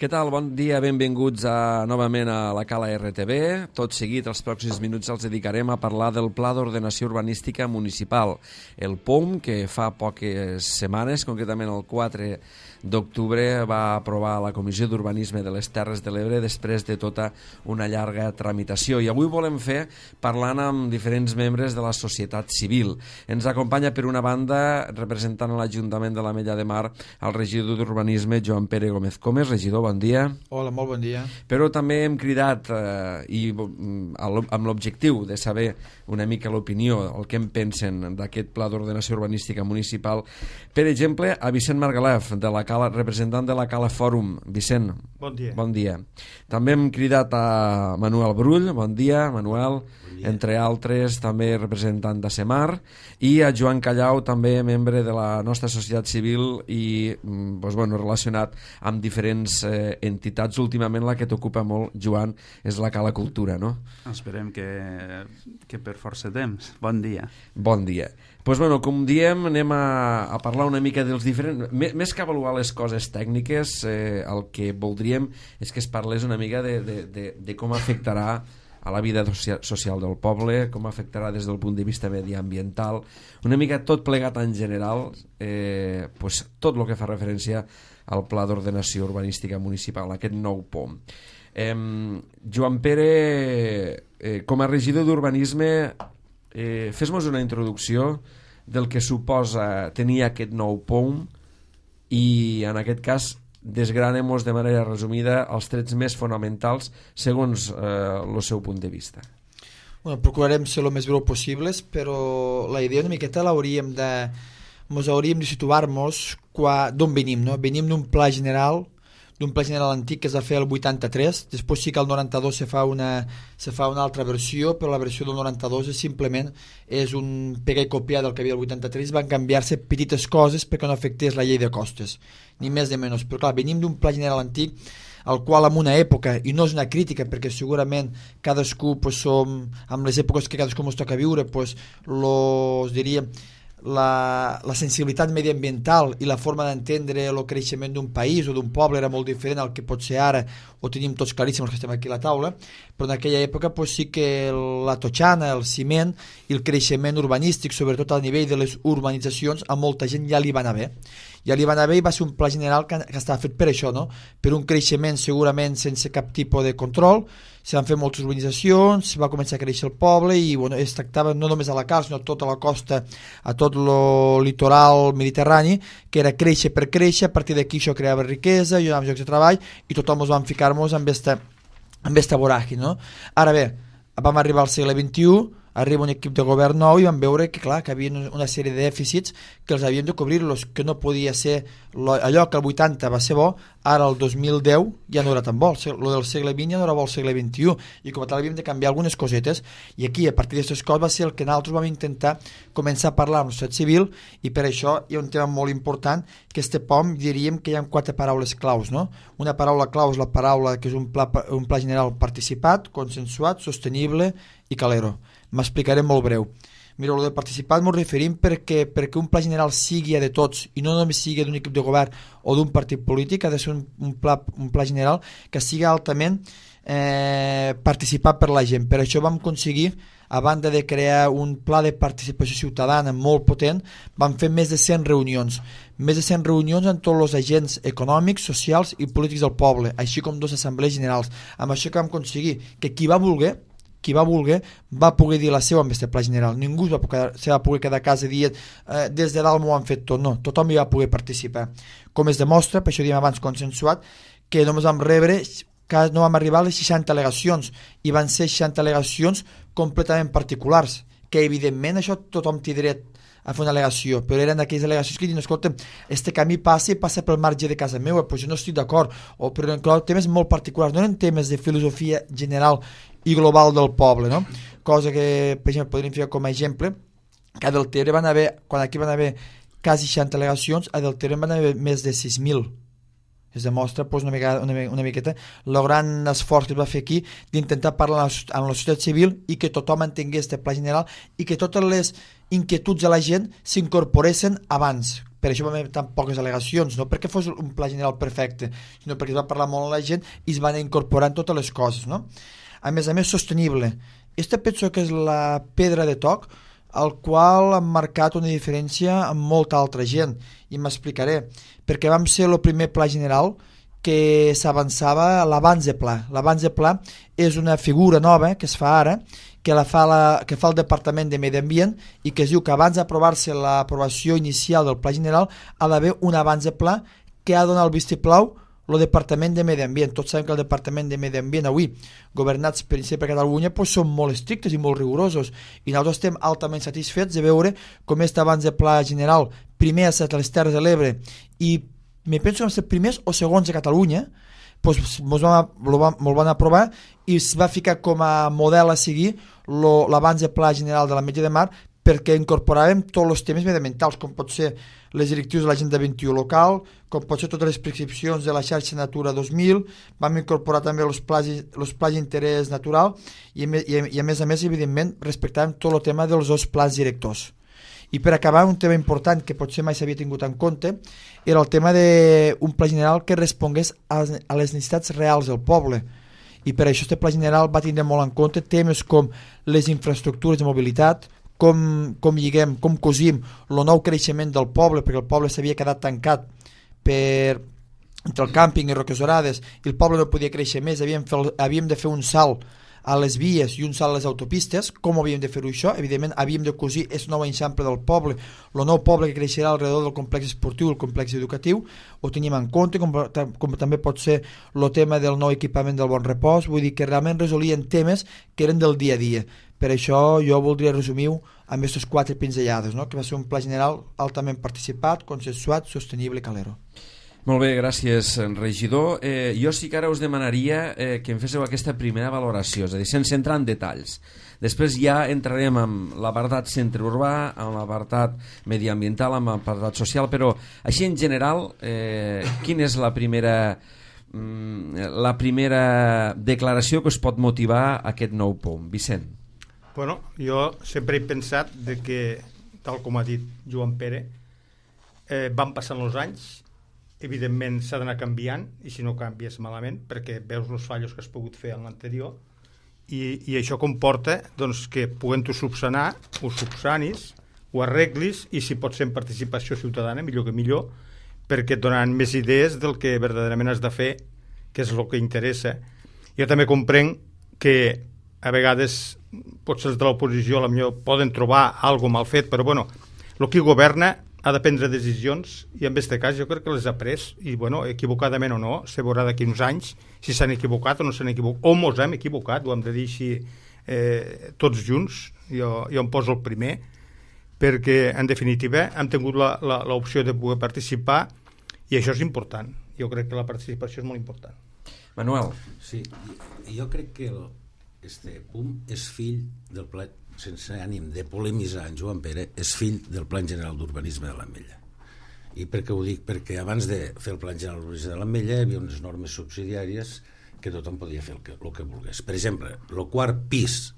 Què tal? Bon dia, benvinguts novament a la Cala RTV. Tot seguit, els pròxims minuts els dedicarem a parlar del Pla d'Ordenació Urbanística Municipal, el POUM, que fa poques setmanes, concretament el 4 d'octubre, va aprovar la Comissió d'Urbanisme de les Terres de l'Ebre després de tota una llarga tramitació. I avui volem fer parlant amb diferents membres de la societat civil. Ens acompanya, per una banda, representant a l'Ajuntament de l'Ametlla de Mar, el regidor d'Urbanisme, Joan Pere Gómez Comes. Regidor, bon dia. Hola, molt bon dia. Però també hem cridat amb l'objectiu de saber una mica l'opinió, el que en pensen d'aquest Pla d'Ordenació Urbanística Municipal. Per exemple, a Vicent Margalef, representant de la Cala Fòrum. Vicent, bon dia. Bon dia. També hem cridat a Manuel Brull. Bon dia, Manuel. Bon dia. Entre altres, també representant de Semar, i a Joan Callau, també membre de la nostra societat civil i relacionat amb diferents entitats. Últimament la que t'ocupa molt, Joan, és la Cala Cultura, no? Esperem que per força temps. Bon dia. Bon dia. Com diem, anem a parlar una mica dels diferents... Més que avaluar les coses tècniques, el que voldríem és que es parlés una mica de com afectarà a la vida social del poble, com afectarà des del punt de vista mediambiental, una mica tot plegat en general, tot el que fa referència al Pla d'Ordenació Urbanística Municipal, aquest nou POM. Joan Pere, com a regidor d'Urbanisme, fes-nos una introducció del que suposa tenir aquest nou POM i, en aquest cas, desgranem-nos de manera resumida els trets més fonamentals segons el seu punt de vista. Procurarem ser el més breu possibles, però la idea una miqueta hauríem de situar-nos d'on venim, no? Venim d'un pla general antic que es va fer el 83, després sí que el 92 se fa una altra versió, però la versió del 92 simplement és un pegar i copiar del que havia el 83, van canviar-se petites coses perquè no afectés la llei de costes, ni més ni menys, però clar, venim d'un pla general antic al qual en una època, i no és una crítica perquè segurament cadascú som, amb les èpoques que cadascú ens toca viure, diríem, la sensibilitat mediambiental i la forma d'entendre el creixement d'un país o d'un poble era molt diferent al que pot ser ara, ho tenim tots claríssim els que estem aquí a la taula, però en aquella època sí que la totxana, el ciment i el creixement urbanístic, sobretot a nivell de les urbanitzacions, a molta gent ja li va anar bé. Ja li va anar bé i va ser un pla general que estava fet per això, no? Per un creixement segurament sense cap tipus de control, se van fer moltes urbanitzacions, va començar a créixer el poble i es tractava no només a la Cal, sinó a tota la costa, a tot el litoral mediterrani, que era créixer per créixer, a partir d'aquí això creava riquesa, hi havia llocs de treball i tothom ens vam ficar-nos amb esta voràgine, no? Ara bé, vam arribar al segle XXI, arriba un equip de govern nou i vam veure que clar, que havia una sèrie de dèficits que els havíem de cobrir-los, que no podia ser allò que el 80 va ser bo, ara el 2010 ja no era tan bo, el del segle XX ja no era bo el segle XXI, i com a tal havíem de canviar algunes cosetes, i aquí a partir d'aquestes coses va ser el que nosaltres vam intentar començar a parlar amb la societat civil, i per això hi ha un tema molt important, que este POM diríem que hi ha 4 paraules claus, no? Una paraula clau és la paraula que és un pla general participat, consensuat, sostenible i calero. M'explicaré molt breu. Mira, el de participat m'ho referim perquè un pla general sigui de tots i no només sigui d'un equip de govern o d'un partit polític, ha de ser un pla general que sigui altament participat per la gent. Per això vam aconseguir, a banda de crear un pla de participació ciutadana molt potent, vam fer més de 100 reunions. Més de 100 reunions amb tots els agents econòmics, socials i polítics del poble, així com 2 assemblees generals. Amb això que vam aconseguir que qui va voler va poder dir la seva amb aquest pla general. Ningú se va poder quedar a casa dient des de dalt m'ho han fet tot, no, tothom hi va poder participar. Com es demostra, per això diem abans consensuat, que només vam no vam arribar a les 60 al·legacions i van ser 60 al·legacions completament particulars, que evidentment això tothom té dret a fer una al·legació, però eren aquelles al·legacions que diuen, escolta, este camí passa pel marge de casa meva, però jo no estic d'acord, però inclou temes molt particulars, no eren temes de filosofia general i global del poble, no? Cosa que, per exemple, podríem ficar com a exemple, que a Deltebre quan aquí van haver quasi 60 al·legacions, a Deltebre van haver més de 6.000. Es demostra una miqueta el gran esforç que es va fer aquí d'intentar parlar amb la societat civil i que tothom entengués este pla general i que totes les inquietuds de la gent s'incorporessin abans, per això vam haver tan poques al·legacions, no perquè fos un pla general perfecte, sinó perquè es va parlar molt amb la gent i es van incorporant totes les coses, no? A més, sostenible. Esta penso que és la pedra de toc al qual han marcat una diferència amb molta altra gent, i m'explicaré, perquè vam ser el primer pla general que s'avançava a l'abans de pla. L'abans de pla és una figura nova que es fa ara, que fa el Departament de Medi Ambient, i que es diu que abans d'aprovar-se l'aprovació inicial del pla general ha d'haver un abans de pla que ha de donar el vistiplau el Departament de Medi Ambient. Tots sabem que el Departament de Medi Ambient avui, governats per Catalunya, són molt estrictes i molt rigorosos, i nosaltres estem altament satisfets de veure com aquest abans de pla general primer ha estat a les Terres de l'Ebre, i me penso que vam ser primers o segons a Catalunya, doncs me'l van aprovar i es va ficar com a model a seguir l'abans de pla general de l'Ametlla de Mar, perquè incorporàvem tots els temes mediambientals, com pot ser les directrius de l'Agenda 21 local, com pot ser totes les prescripcions de la xarxa Natura 2000, vam incorporar també els plans d'interès natural i a més, evidentment, respectàvem tot el tema dels dos plans directors. I per acabar, un tema important que potser mai s'havia tingut en compte era el tema d'un pla general que respongués a les necessitats reals del poble. I per això aquest pla general va tindre molt en compte temes com les infraestructures de mobilitat, com lliguem, com cosim el nou creixement del poble, perquè el poble s'havia quedat tancat entre el càmping i Roques Dorades, i el poble no podia créixer més, havíem de fer un salt a les vies i un salt a les autopistes. Com havíem de fer-ho això? Evidentment havíem de cosir aquest nou eixample del poble, el nou poble que creixerà alrededor del complex esportiu, el complex educatiu, ho teníem en compte, com també pot ser el tema del nou equipament del Bon Repòs. Vull dir que realment resolien temes que eren del dia a dia. Per això jo voldria resumir-ho amb aquestes 4 pinzellades, no? Que va ser un pla general altament participat, consensuat, sostenible i calero. Molt bé, gràcies, regidor. Jo sí que ara us demanaria que em féssiu aquesta primera valoració, és a dir, sense entrar en detalls. Després ja entrarem amb l'apartat centre urbà, amb l'apartat mediambiental, amb l'apartat social, però així en general, quina és la primera declaració que us pot motivar aquest nou POM? Vicent. Bueno, jo sempre he pensat que, tal com ha dit Joan Pere, van passant els anys, evidentment s'ha d'anar canviant, i si no canvies malament, perquè veus els fallos que has pogut fer en l'anterior, i això comporta doncs, que puguem-ho subsanar, ho subsanis, ho arreglis, i si pot ser en participació ciutadana, millor que millor, perquè et donaran més idees del que verdaderament has de fer, que és el que interessa. Jo també comprenc que a vegades potser els de l'oposició potser poden trobar alguna mal fet, però bueno, el que governa ha de prendre decisions, i en aquest cas jo crec que les ha pres, i bueno, equivocadament o no, se veurà d'aquí uns anys si s'han equivocat o no s'han equivocat, o mos hem equivocat, ho hem de dir així tots junts. Jo em poso el primer, perquè en definitiva hem tingut l'opció de poder participar, i això és important. Jo crec que la participació és molt important. Manuel. Sí, jo crec que este PUM és fill del pla, sense ànim de polemitzar en Joan Pere, és fill del Plan General d'Urbanisme de l'Ametlla. I per què ho dic? Perquè abans de fer el Plan General d'Urbanisme de l'Ametlla hi havia unes normes subsidiàries que tothom podia fer el que volgués. Per exemple, el quart pis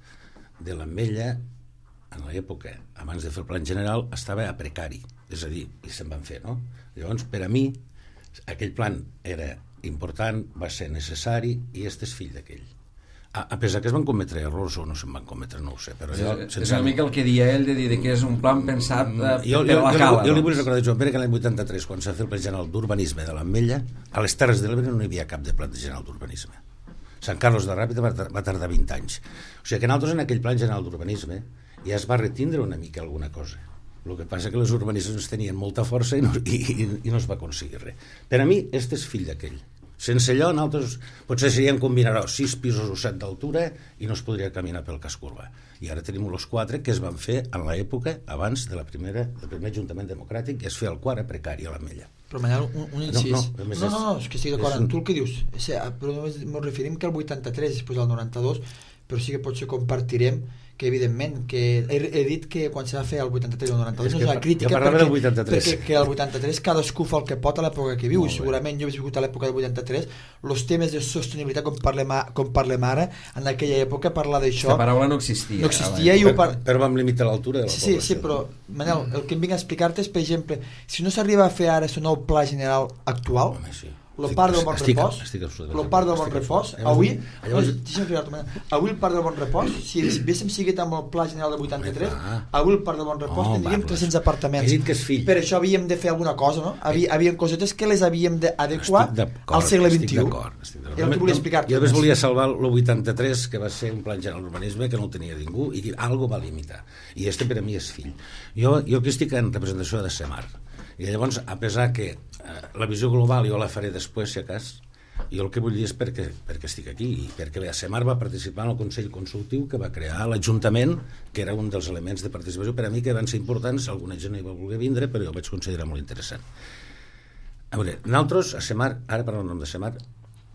de l'Ametlla, en l'època, abans de fer el Plan General, estava a precari, és a dir, i se'n van fer, no? Llavors, per a mi, aquell plan era important, va ser necessari, i este és fill d'aquell. A pesar que es van cometre errors o no se'n van cometre, no ho sé, però és una mica el que dia ell de dir que és un plan pensat per la cala. Jo li vull recordar, Joan Pere, que l'any 83, quan s'ha fet el Pla General d'Urbanisme de l'Ametlla, a les Terres de l'Ebre no hi havia cap de Pla General d'Urbanisme. Sant Carlos de Ràpita va tardar 20 anys. O sigui que nosaltres en aquell Pla General d'Urbanisme ja es va retindre una mica alguna cosa. El que passa que les urbanismes tenien molta força i no es va aconseguir res. Per a mi, este és fill d'aquell. Sense allò, nosaltres potser seríem combinar 6 pisos o 7 d'altura i no es podria caminar pel casc urbà. I ara tenim els 4 que es van fer en l'època abans del primer Ajuntament Democràtic, que es feia el quart a precari a l'Ametlla. Però Manel, un incís. No, és que estic d'acord amb tu el que dius. Però només ens referim que el 83 després del 92, però sí que potser compartirem que evidentment que he dit que quan se va fer el 83 o el 92 no és una crítica perquè el 83 cadascú fa el que pot a l'època que viu i segurament jo he viscut a l'època del 83 els temes de sostenibilitat com parlem ara en aquella època parlar d'això la paraula no existia però vam limitar l'altura de la població. Sí, però Manel, el que em vinc a explicar-te és, per exemple, si no s'arriba a fer ara el nou pla general actual el parc del Bon Repòs avui el parc del Bon Repòs si haguéssim seguit amb el pla general del 83 avui el parc del Bon Repòs tindríem 300 apartaments per això havíem de fer alguna cosa, no? Havíem cosetes que les havíem d'adequar al segle XXI era el que volia explicar-te. Jo només volia salvar el 83 que va ser un pla general d'urbanisme que no el tenia ningú i que algo va limitar i este per a mi és fill. Jo aquí estic en representació de Semar i llavors, a pesar que la visió global jo la faré després, si a cas, jo el que vull dir és perquè estic aquí i perquè la Semar va participar en el Consell Consultiu que va crear l'Ajuntament, que era un dels elements de participació per a mi que van ser importants, alguna gent no hi va voler vindre, però jo ho vaig considerar molt interessant. A veure, nosaltres, a Semar, ara parlant en nom de Semar,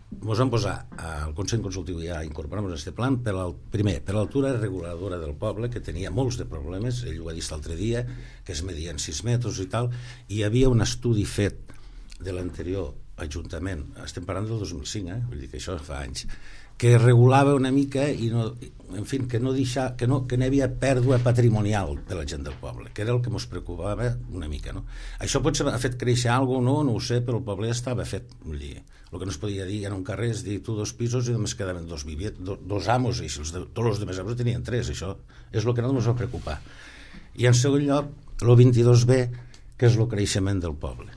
ens vam posar al Consell Consultiu ja a incorporar-nos a aquest plan primer, per l'altura reguladora del poble, que tenia molts de problemes, ell ho ha dit l'altre dia, que es medien 6 metres i tal, i hi havia un estudi fet de l'anterior Ajuntament, estem parlant del 2005, vull dir que això fa anys, que regulava una mica i no, en fi, que no n'hi havia pèrdua patrimonial de la gent del poble, que era el que ens preocupava una mica, no? Això potser ha fet créixer alguna cosa, no ho sé, però el poble estava fet, vull dir, el que no es podia dir en un carrer és dir tu 2 pisos i només quedaven 2 amos i tots els demés amos tenien 3, això és el que no ens va preocupar. I en segon lloc, el 22B, que és el creixement del poble.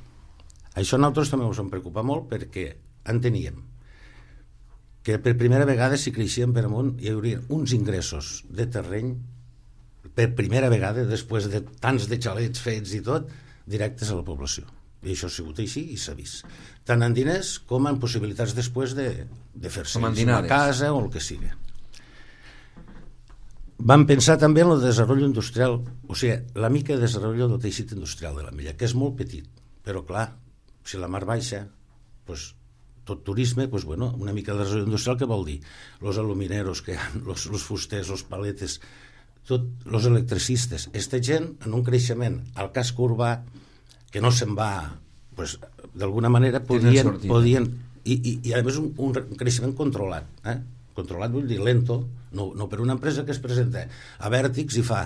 Això nosaltres també ens vam preocupar molt perquè enteníem que per primera vegada si creixíem per amunt hi hauria uns ingressos de terreny per primera vegada després de tants de xalets fets i tot directes a la població i això ha sigut així i s'ha vist tant en diners com en possibilitats després de fer-se una casa o el que sigui. Vam pensar també en el desenvolupament industrial, o sigui, la mica de desenvolupament del teixit industrial de l'Ametlla, que és molt petit, però clar, si la mar baixa, doncs tot turisme, doncs bueno, una mica de desenvolupament industrial, què vol dir? Los alumineros que hi ha, los fusters, los paletes, tot, los electricistes, aquesta gent en un creixement al casc urbà que no se'n va, doncs, d'alguna manera podien i a més un creixement controlat, controlat vull dir lento, no per una empresa que es presenta a Vèrtix i fa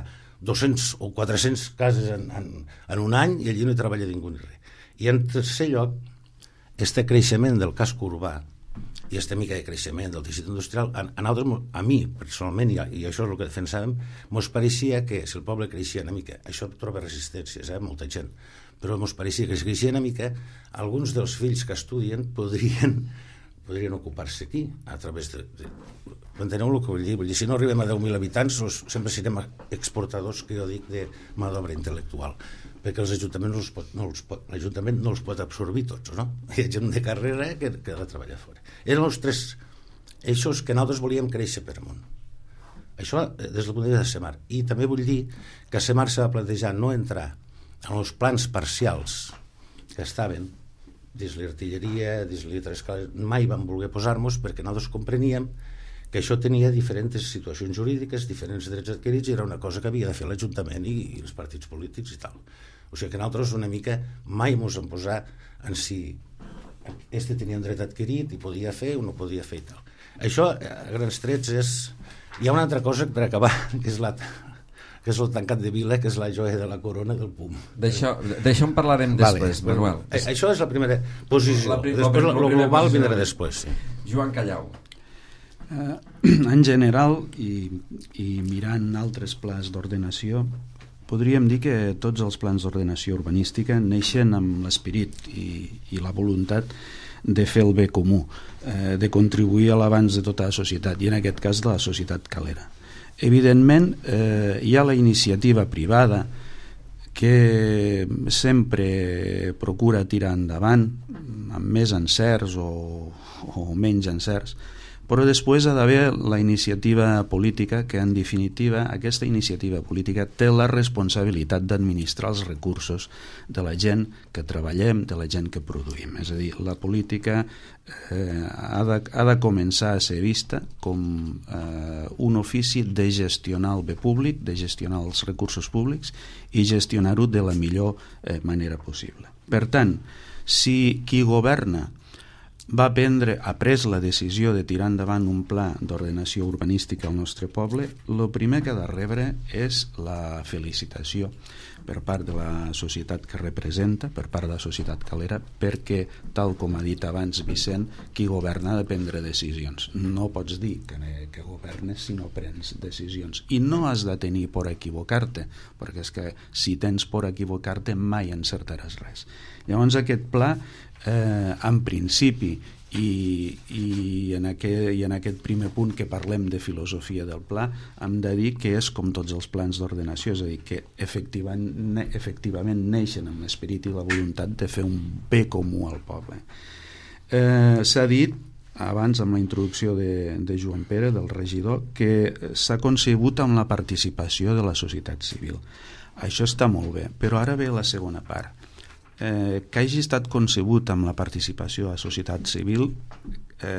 200 o 400 cases en un any i allí no hi treballa ningú ni res. I en tercer lloc, este creixement del casc urbà i aquesta mica de creixement del teixit industrial, a mi personalment, i això és el que defensàvem, ens pareixia que si el poble creixia una mica, això troba resistències, molta gent, però ens pareixia que si creixia una mica, alguns dels fills que estudien podrien ocupar-se aquí, a través de... Enteneu el que vull dir? Vull dir, si no arribem a 10.000 habitants, sempre serem exportadors, que jo dic, de mà d'obra intel·lectual, perquè els ajuntaments l'Ajuntament no els pot absorbir tots, no? Hi ha gent de carrera que ha de treballar fora. Eren els 3 eixos que nosaltres volíem créixer per amunt. Això des del punt de vista de Semar. I també vull dir que Semar se va plantejar no entrar en els plans parcials que estaven dins l'artilleria, dins l'escala, mai vam voler posar-nos perquè nosaltres compreníem que això tenia diferents situacions jurídiques, diferents drets adquirits, i era una cosa que havia de fer l'Ajuntament i els partits polítics i tal. O sigui que nosaltres una mica mai ens hem posat en si este tenia un dret adquirit i podia fer o no podia fer i tal. Això, a grans trets, és... Hi ha una altra cosa per acabar, que és el tancat de vila, que és la joia de la corona del PUM. D'això en parlarem després, Manuel. Això és la primera posició. Després el global vindrà després. Sí. Joan Callau. En general, i mirant altres plans d'ordenació, podríem dir que tots els plans d'ordenació urbanística neixen amb l'esperit i la voluntat de fer el bé comú, de contribuir a l'avanç de tota la societat, i en aquest cas de la societat calera. Evidentment, hi ha la iniciativa privada que sempre procura tirar endavant amb més encerts o menys encerts, Però després ha d'haver la iniciativa política, que en definitiva aquesta iniciativa política té la responsabilitat d'administrar els recursos de la gent que treballem, de la gent que produïm. És a dir, la política ha de començar a ser vista com un ofici de gestionar el bé públic, de gestionar els recursos públics i gestionar-ho de la millor manera possible. Per tant, si qui governa ha pres la decisió de tirar endavant un pla d'ordenació urbanística al nostre poble, el primer que ha de rebre és la felicitació per part de la societat que representa, per part de la societat calera, perquè, tal com ha dit abans Vicent, qui governa ha de prendre decisions. No pots dir que governes si no prens decisions. I no has de tenir por a equivocar-te, perquè és que si tens por a equivocar-te mai encertaràs res. Llavors aquest pla, en principi, i en aquest primer punt que parlem de filosofia del pla, hem de dir que és com tots els plans d'ordenació, és a dir, que efectivament neixen amb l'esperit i la voluntat de fer un bé comú al poble. S'ha dit abans, amb la introducció de Joan Pere, del regidor, que s'ha concebut amb la participació de la societat civil. Això està molt bé, però ara ve la segona part. Que hagi estat concebut amb la participació de la societat civil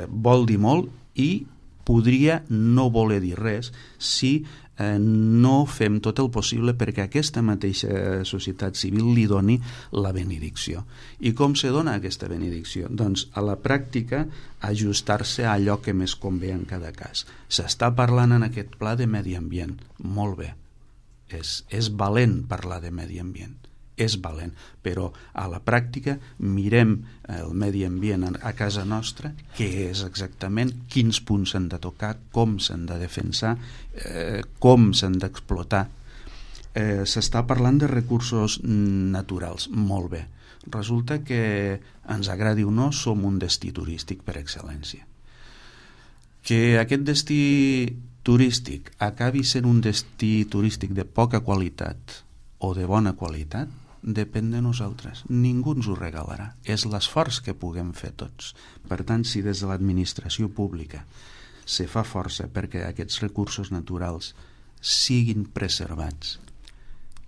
vol dir molt i podria no voler dir res si no fem tot el possible perquè aquesta mateixa societat civil li doni la benedicció. I com se dona aquesta benedicció? Doncs a la pràctica ajustar-se a allò que més convé en cada cas. S'està parlant en aquest pla de medi ambient, molt bé, és valent parlar de medi ambient, és valent, però a la pràctica mirem el medi ambient a casa nostra, què és exactament, quins punts s'han de tocar, com s'han de defensar, com s'han d'explotar. S'està parlant de recursos naturals, molt bé. Resulta que, ens agradi o no, som un destí turístic per excel·lència. Que aquest destí turístic acabi sent un destí turístic de poca qualitat o de bona qualitat, depèn de nosaltres. Ningú ens ho regalarà. És l'esforç que puguem fer tots. Per tant, si des de l'administració pública se fa força perquè aquests recursos naturals siguin preservats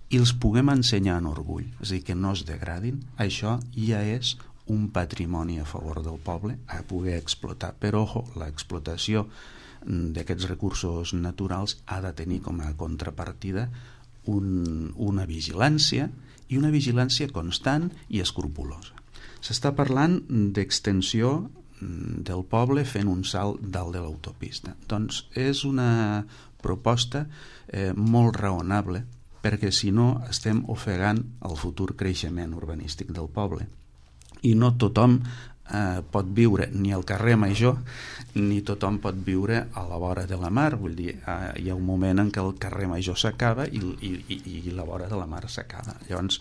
i els puguem ensenyar en orgull, és a dir, que no es degradin, això ja és un patrimoni a favor del poble a poder explotar. Però, ojo, l'explotació d'aquests recursos naturals ha de tenir com a contrapartida una vigilància, i una vigilància constant i escrupulosa. S'està parlant d'extensió del poble fent un salt dalt de l'autopista. Doncs és una proposta molt raonable, perquè si no estem ofegant el futur creixement urbanístic del poble. I no tothom pot viure ni al carrer Major, ni tothom pot viure a la vora de la mar. Vull dir, hi ha un moment en què el carrer Major s'acaba i la vora de la mar s'acaba. Llavors,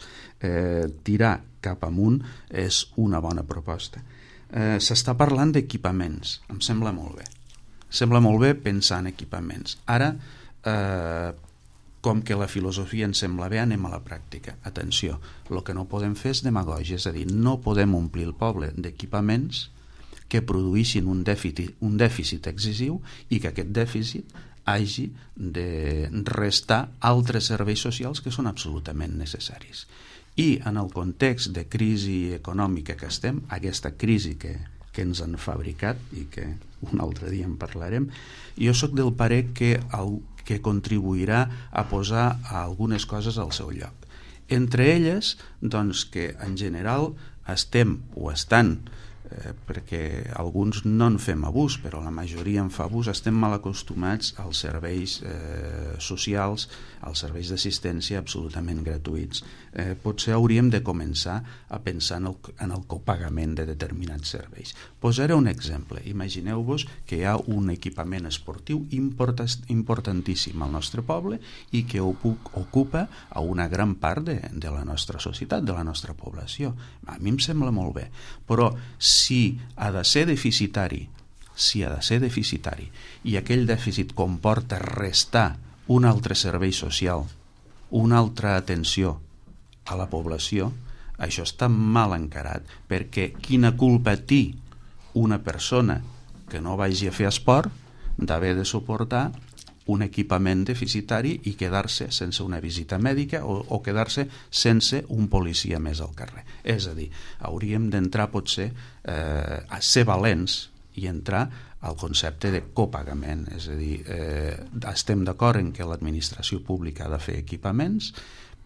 tirar cap amunt és una bona proposta. S'està parlant d'equipaments, em sembla molt bé. Sembla molt bé pensar en equipaments. Ara, com que la filosofia ens sembla bé, anem a la pràctica. Atenció, el que no podem fer és demagògia, és a dir, no podem omplir el poble d'equipaments que produïssin un dèficit excessiu i que aquest dèficit hagi de restar altres serveis socials que són absolutament necessaris. I en el context de crisi econòmica que estem, aquesta crisi que ens han fabricat i que un altre dia en parlarem, jo sóc del parer que contribuirà a posar algunes coses al seu lloc. Entre elles, doncs, que en general estem o estan, perquè alguns no en fem abús, però la majoria en fa abús, estem mal acostumats als serveis socials, als serveis d'assistència absolutament gratuïts. Potser hauríem de començar a pensar en el copagament de determinats serveis. Posaré un exemple. Imagineu-vos que hi ha un equipament esportiu importantíssim al nostre poble i que ocupa a una gran part de la nostra societat, de la nostra població. A mi em sembla molt bé, però si ha de ser deficitari i aquell dèficit comporta restar un altre servei social, una altra atenció a la població, això està mal encarat, perquè quina culpa té una persona que no vagi a fer esport d'haver de suportar un equipament deficitari i quedar-se sense una visita mèdica o quedar-se sense un policia més al carrer. És a dir, hauríem d'entrar potser a ser valents i entrar al concepte de copagament. És a dir, estem d'acord en que l'administració pública ha de fer equipaments,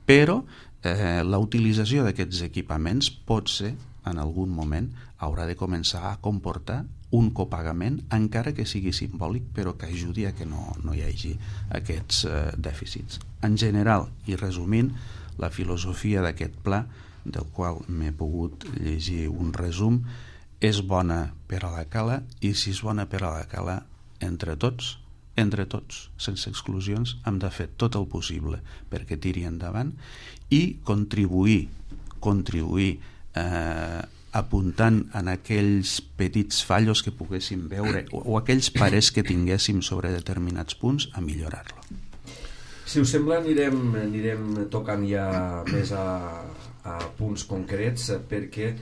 però la utilització d'aquests equipaments pot ser, en algun moment, haurà de començar a comportar un copagament, encara que sigui simbòlic, però que ajudi a que no hi hagi aquests dèficits. En general, i resumint, la filosofia d'aquest pla, del qual m'he pogut llegir un resum, és bona per a la cala, i si és bona per a la cala, entre tots, sense exclusions, hem de fer tot el possible perquè tiri endavant i contribuir apuntant en aquells petits fallos que poguéssim veure o aquells parers que tinguéssim sobre determinats punts a millorar-lo. Si us sembla, anirem tocant ja més a punts concrets, perquè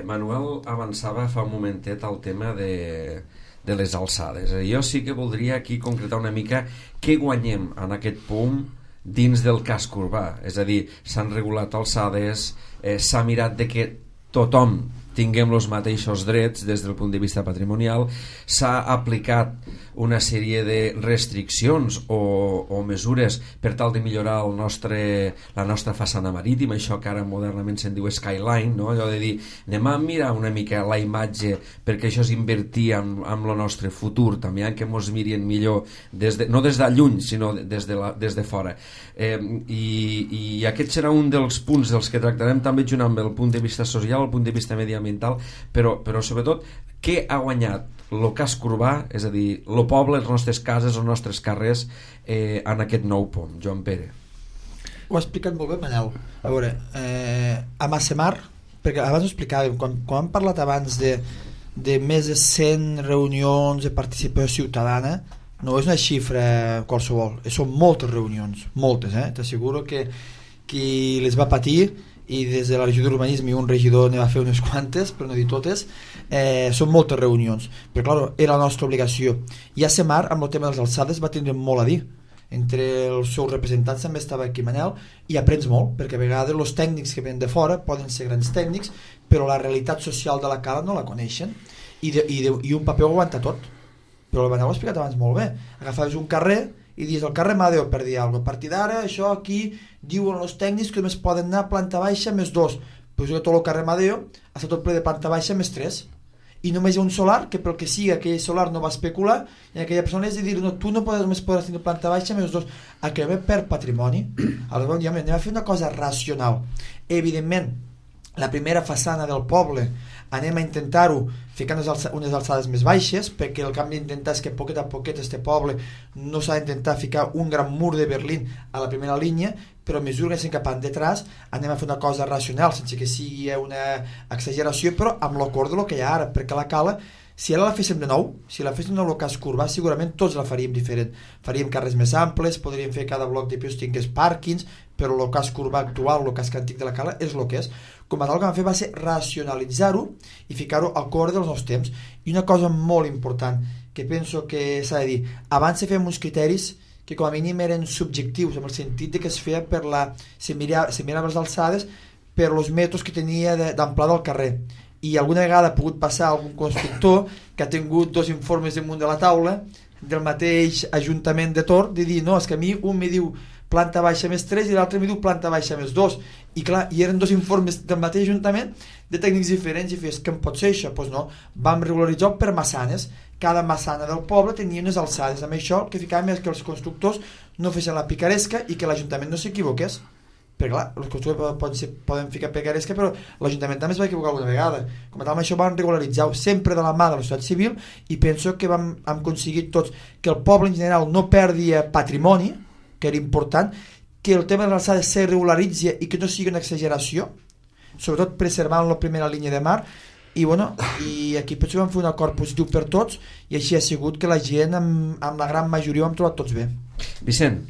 Manuel avançava fa un momentet al tema de les alçades. Jo sí que voldria aquí concretar una mica què guanyem en aquest punt dins del casc urbà. És a dir, s'han regulat alçades, s'ha mirat de que tothom tinguem els mateixos drets des del punt de vista patrimonial, s'ha aplicat una sèrie de restriccions o mesures per tal de millorar la nostra façana marítima, això que ara modernament se'n diu skyline, no? Allò de dir, anem a mirar una mica la imatge perquè això és invertir en el nostre futur, també que ens mirin millor no des de lluny, sinó des de fora. I aquest serà un dels punts dels que tractarem també junt amb el punt de vista social, el punt de vista mediambiental, però sobretot què ha guanyat el casc urbà, és a dir, el poble, les nostres cases, els nostres carrers en aquest nou pont. Joan Pere. Ho ha explicat molt bé, Manel. A veure, a Massemar, perquè abans ho explicàvem, quan hem parlat abans de més de 100 reunions de participació ciutadana, no és una xifra qualsevol, són moltes reunions, moltes, t'asseguro que qui les va patir, i des de la regió d'urbanisme un regidor ne va fer unes quantes, però no dir totes, són moltes reunions, però clar, era la nostra obligació. I a Semar, amb el tema de les alçades, va tindre molt a dir. Entre els seus representants també estava aquí Manel, i aprens molt, perquè a vegades els tècnics que venen de fora poden ser grans tècnics, però la realitat social de la cala no la coneixen, i un paper ho aguanta tot. Però el Manel ho ha explicat abans molt bé. Agafaves un carrer i dius el carrer Madeo per dir alguna cosa. A partir d'ara, això aquí diuen els tècnics que només poden anar a planta baixa més 2. Pues tot el carrer Madeo està tot ple de planta baixa més 3. I només hi ha un solar que pel que sigui aquell solar no va especular i aquella persona és de dir no, tu no només podràs tenir planta baixa més 2. Aquell per patrimoni. Aleshores, anem a fer una cosa racional. Evidentment, la primera façana del poble anem a intentar-ho ficar unes alçades més baixes, perquè el que hem d'intentar és que poquet a poquet este poble no s'ha d'intentar ficar un gran mur de Berlín a la primera línia, però a mesura que estem cap detrás anem a fer una cosa racional sense que sigui una exageració, però amb l'acord del que hi ha ara, perquè la cala, si ara la féssim de nou, si la féssim de nou el casc urbà, segurament tots la faríem diferent. Faríem carrers més amples, podríem fer cada bloc de pisos tingués pàrquings, però el casc urbà actual, el casc antic de la cala, és el que és. Com a tal, el que vam fer va ser racionalitzar-ho i ficar-ho al cor dels nous temps. I una cosa molt important, que penso que s'ha de dir, abans se feien uns criteris que com a mínim eren subjectius, en el sentit de que es feia per se mirava les alçades per els metres que tenia d'amplada del carrer. I alguna vegada ha pogut passar algun constructor que ha tingut 2 informes damunt de la taula del mateix Ajuntament de Tor de dir, no, és que a mi un me diu planta baixa més 3 i l'altre me diu planta baixa més 2 i clar, i eren 2 informes del mateix Ajuntament de tècnics diferents i fes, que em pot ser això? Doncs no, vam regularitzar per massanes, cada massana del poble tenia unes alçades, amb això el que ficàvem és que els constructors no fessin la picaresca i que l'Ajuntament no s'equivoqués, perquè clar, els constructors poden ficar picaresca, però l'Ajuntament també es va equivocar alguna vegada. Com a tal, amb això vam regularitzar sempre de la mà de la societat civil i penso que hem aconseguit tots que el poble en general no perdi patrimoni, que era important, que el tema de l'alçada se regularitzi i que no sigui una exageració, sobretot preservant la primera línia de mar, i bueno, i aquí penso que vam fer un acord positiu per tots i així ha sigut que la gent amb la gran majoria ho hem trobat tots bé. Vicent.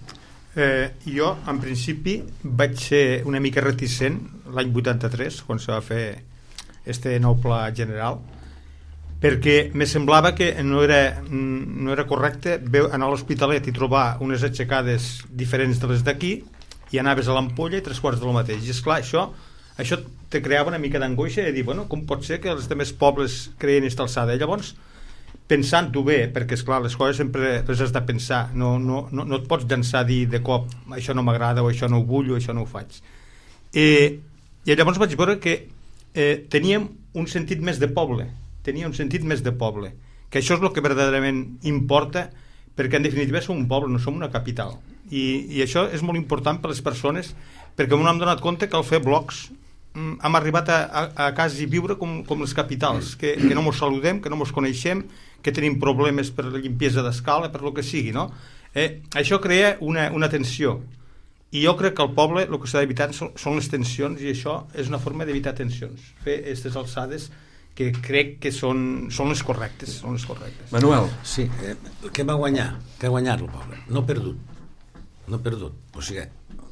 Jo en principi vaig ser una mica reticent l'any 83 quan se va fer este nou pla general, perquè me semblava que no era correcte anar a l'Hospitalet i trobar unes aixecades diferents de les d'aquí i anaves a l'Ampolla i 3/4 del mateix. I esclar, això te creava una mica d'angoixa i dir, bueno, com pot ser que els altres pobles creien aquesta alçada? I llavors, pensant-ho bé, perquè esclar, les coses sempre les has de pensar, no et pots llançar a dir de cop això no m'agrada o això no ho vull o això no ho faig. I llavors vaig veure que teníem un sentit més de poble, que això és el que verdaderament importa, perquè en definitiva som un poble, no som una capital, i això és molt important per a les persones, perquè no hem donat compte que al fer blocs hem arribat a quasi viure com les capitals, que no mos saludem, que no mos coneixem, que tenim problemes per la limpiesa d'escala, per lo que sigui, no? Això crea una tensió, i jo crec que al poble el que s'ha d'evitar són les tensions, i això és una forma d'evitar tensions, fer aquestes alçades que crec que són les correctes. Manuel. Sí, què va guanyar? Què ha guanyat el poble? No ha perdut. O sigui,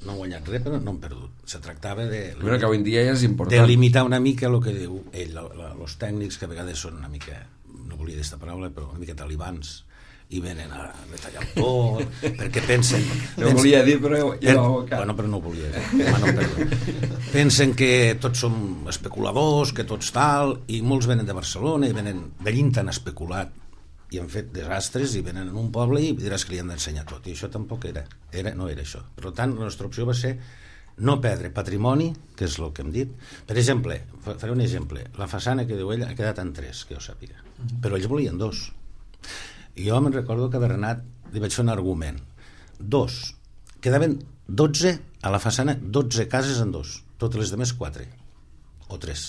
no han guanyat res, però no han perdut. Se tractava de... Bueno, que avui en dia ja és important. De limitar una mica el que diu ell, els tècnics, que a vegades són una mica, no volia dir aquesta paraula, però una mica talibans, i venen a retallar el tot, perquè pensen... No volia dir, però ja bueno, però no volia dir. Pensen que tots som especuladors, que tots tal, i molts venen de Barcelona, i venen de Llint han especulat, i han fet desastres, i venen en un poble i diràs que li han d'ensenyar tot, i això tampoc no era això. Per tant, la nostra opció va ser no perdre patrimoni, que és el que hem dit. Per exemple, faré un exemple, la façana que diu ell ha quedat en 3, que jo sàpiga, però ells volien 2. I jo me'n recordo que a Bernat li vaig fer un argument. 2. Quedaven 12 a la façana, 12 cases en 2. Totes les demés 4 o 3.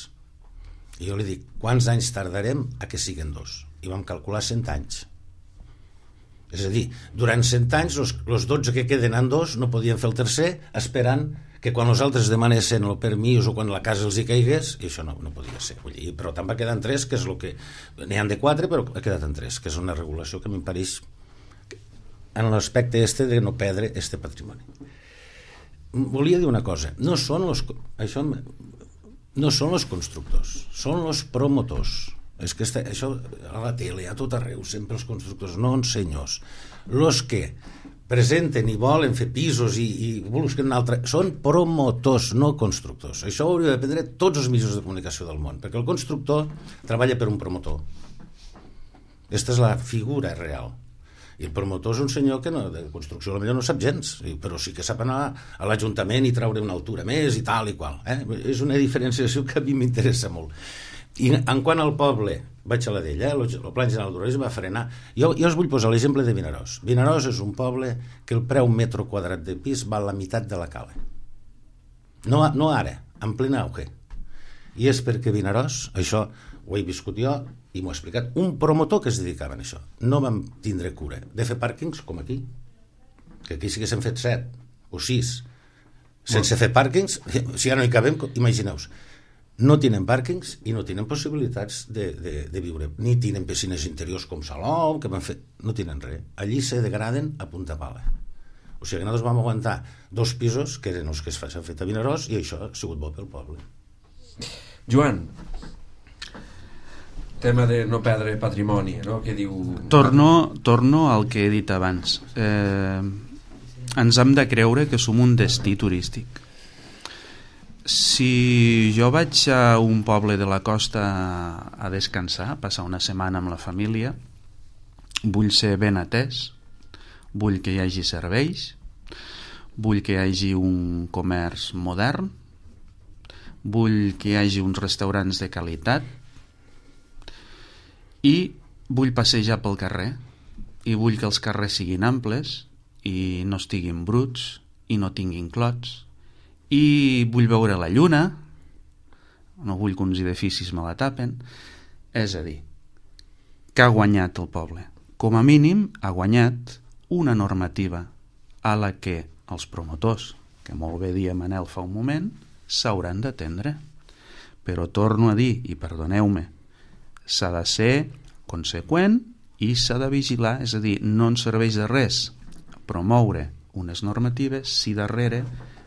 I jo li dic, quants anys tardarem a que siguin 2? I vam calcular 100 anys. És a dir, durant 100 anys els 12 que queden en 2 no podien fer el tercer esperant que quan els altres demanessin el permís o quan la casa els hi caigués, i això no podia ser. Però tant va quedar en 3, que és el que... N'hi han de 4, però ha quedat en 3, que és una regulació que m'impareix en l'aspecte de no perdre este patrimoni. Volia dir una cosa, no són els constructors, són els promotors. És que això a la tele, a tot arreu, sempre els constructors, no senyors. Els que presenten i volen fer pisos i busquen un altre, són promotors, no constructors. Això ho hauria d'aprendre tots els mitjans de comunicació del món, perquè el constructor treballa per un promotor. Aquesta és la figura real. I el promotor és un senyor que de construcció potser no sap gens, però sí que sap anar a l'Ajuntament i treure una altura més i tal i qual. És una diferenciació que a mi m'interessa molt. I en quant al poble, vaig a la d'ell, el Pla General d'Urbanisme va frenar. Jo us vull posar l'exemple de Vinaròs. Vinaròs és un poble que el preu metro quadrat de pis val la meitat de la Cala. No ara, en plena auge. I és perquè Vinaròs, això ho he viscut jo i m'ho ha explicat, un promotor que es dedicava a això. No vam tindre cura de fer pàrquings com aquí, que aquí sí que s'han fet 7 o 6 sense fer pàrquings, si ja no hi cabem, imagineu-vos. No tenen pàrquings i no tenen possibilitats de viure, ni tenen piscines interiors com Salou, que van fer... no tenen res. Allí se degraden a punta pala. O sigui que nosaltres vam aguantar 2 pisos, que eren els que s'han fet a Vinaròs, i això ha sigut bo pel poble. Joan, tema de no perdre patrimoni, no? Què diu... Torno al que he dit abans. Ens hem de creure que som un destí turístic. Si jo vaig a un poble de la costa a descansar, a passar una setmana amb la família, vull ser ben atès, vull que hi hagi serveis, vull que hi hagi un comerç modern, vull que hi hagi uns restaurants de qualitat i vull passejar pel carrer i vull que els carrers siguin amples i no estiguin bruts i no tinguin clots. I vull veure la lluna, no vull que uns edificis me la tapen. És a dir, que ha guanyat el poble? Com a mínim ha guanyat una normativa a la que els promotors, que molt bé dia Manel fa un moment, s'hauran d'atendre. Però torno a dir, i perdoneu-me, s'ha de ser conseqüent i s'ha de vigilar, és a dir, no ens serveix de res promoure unes normatives si darrere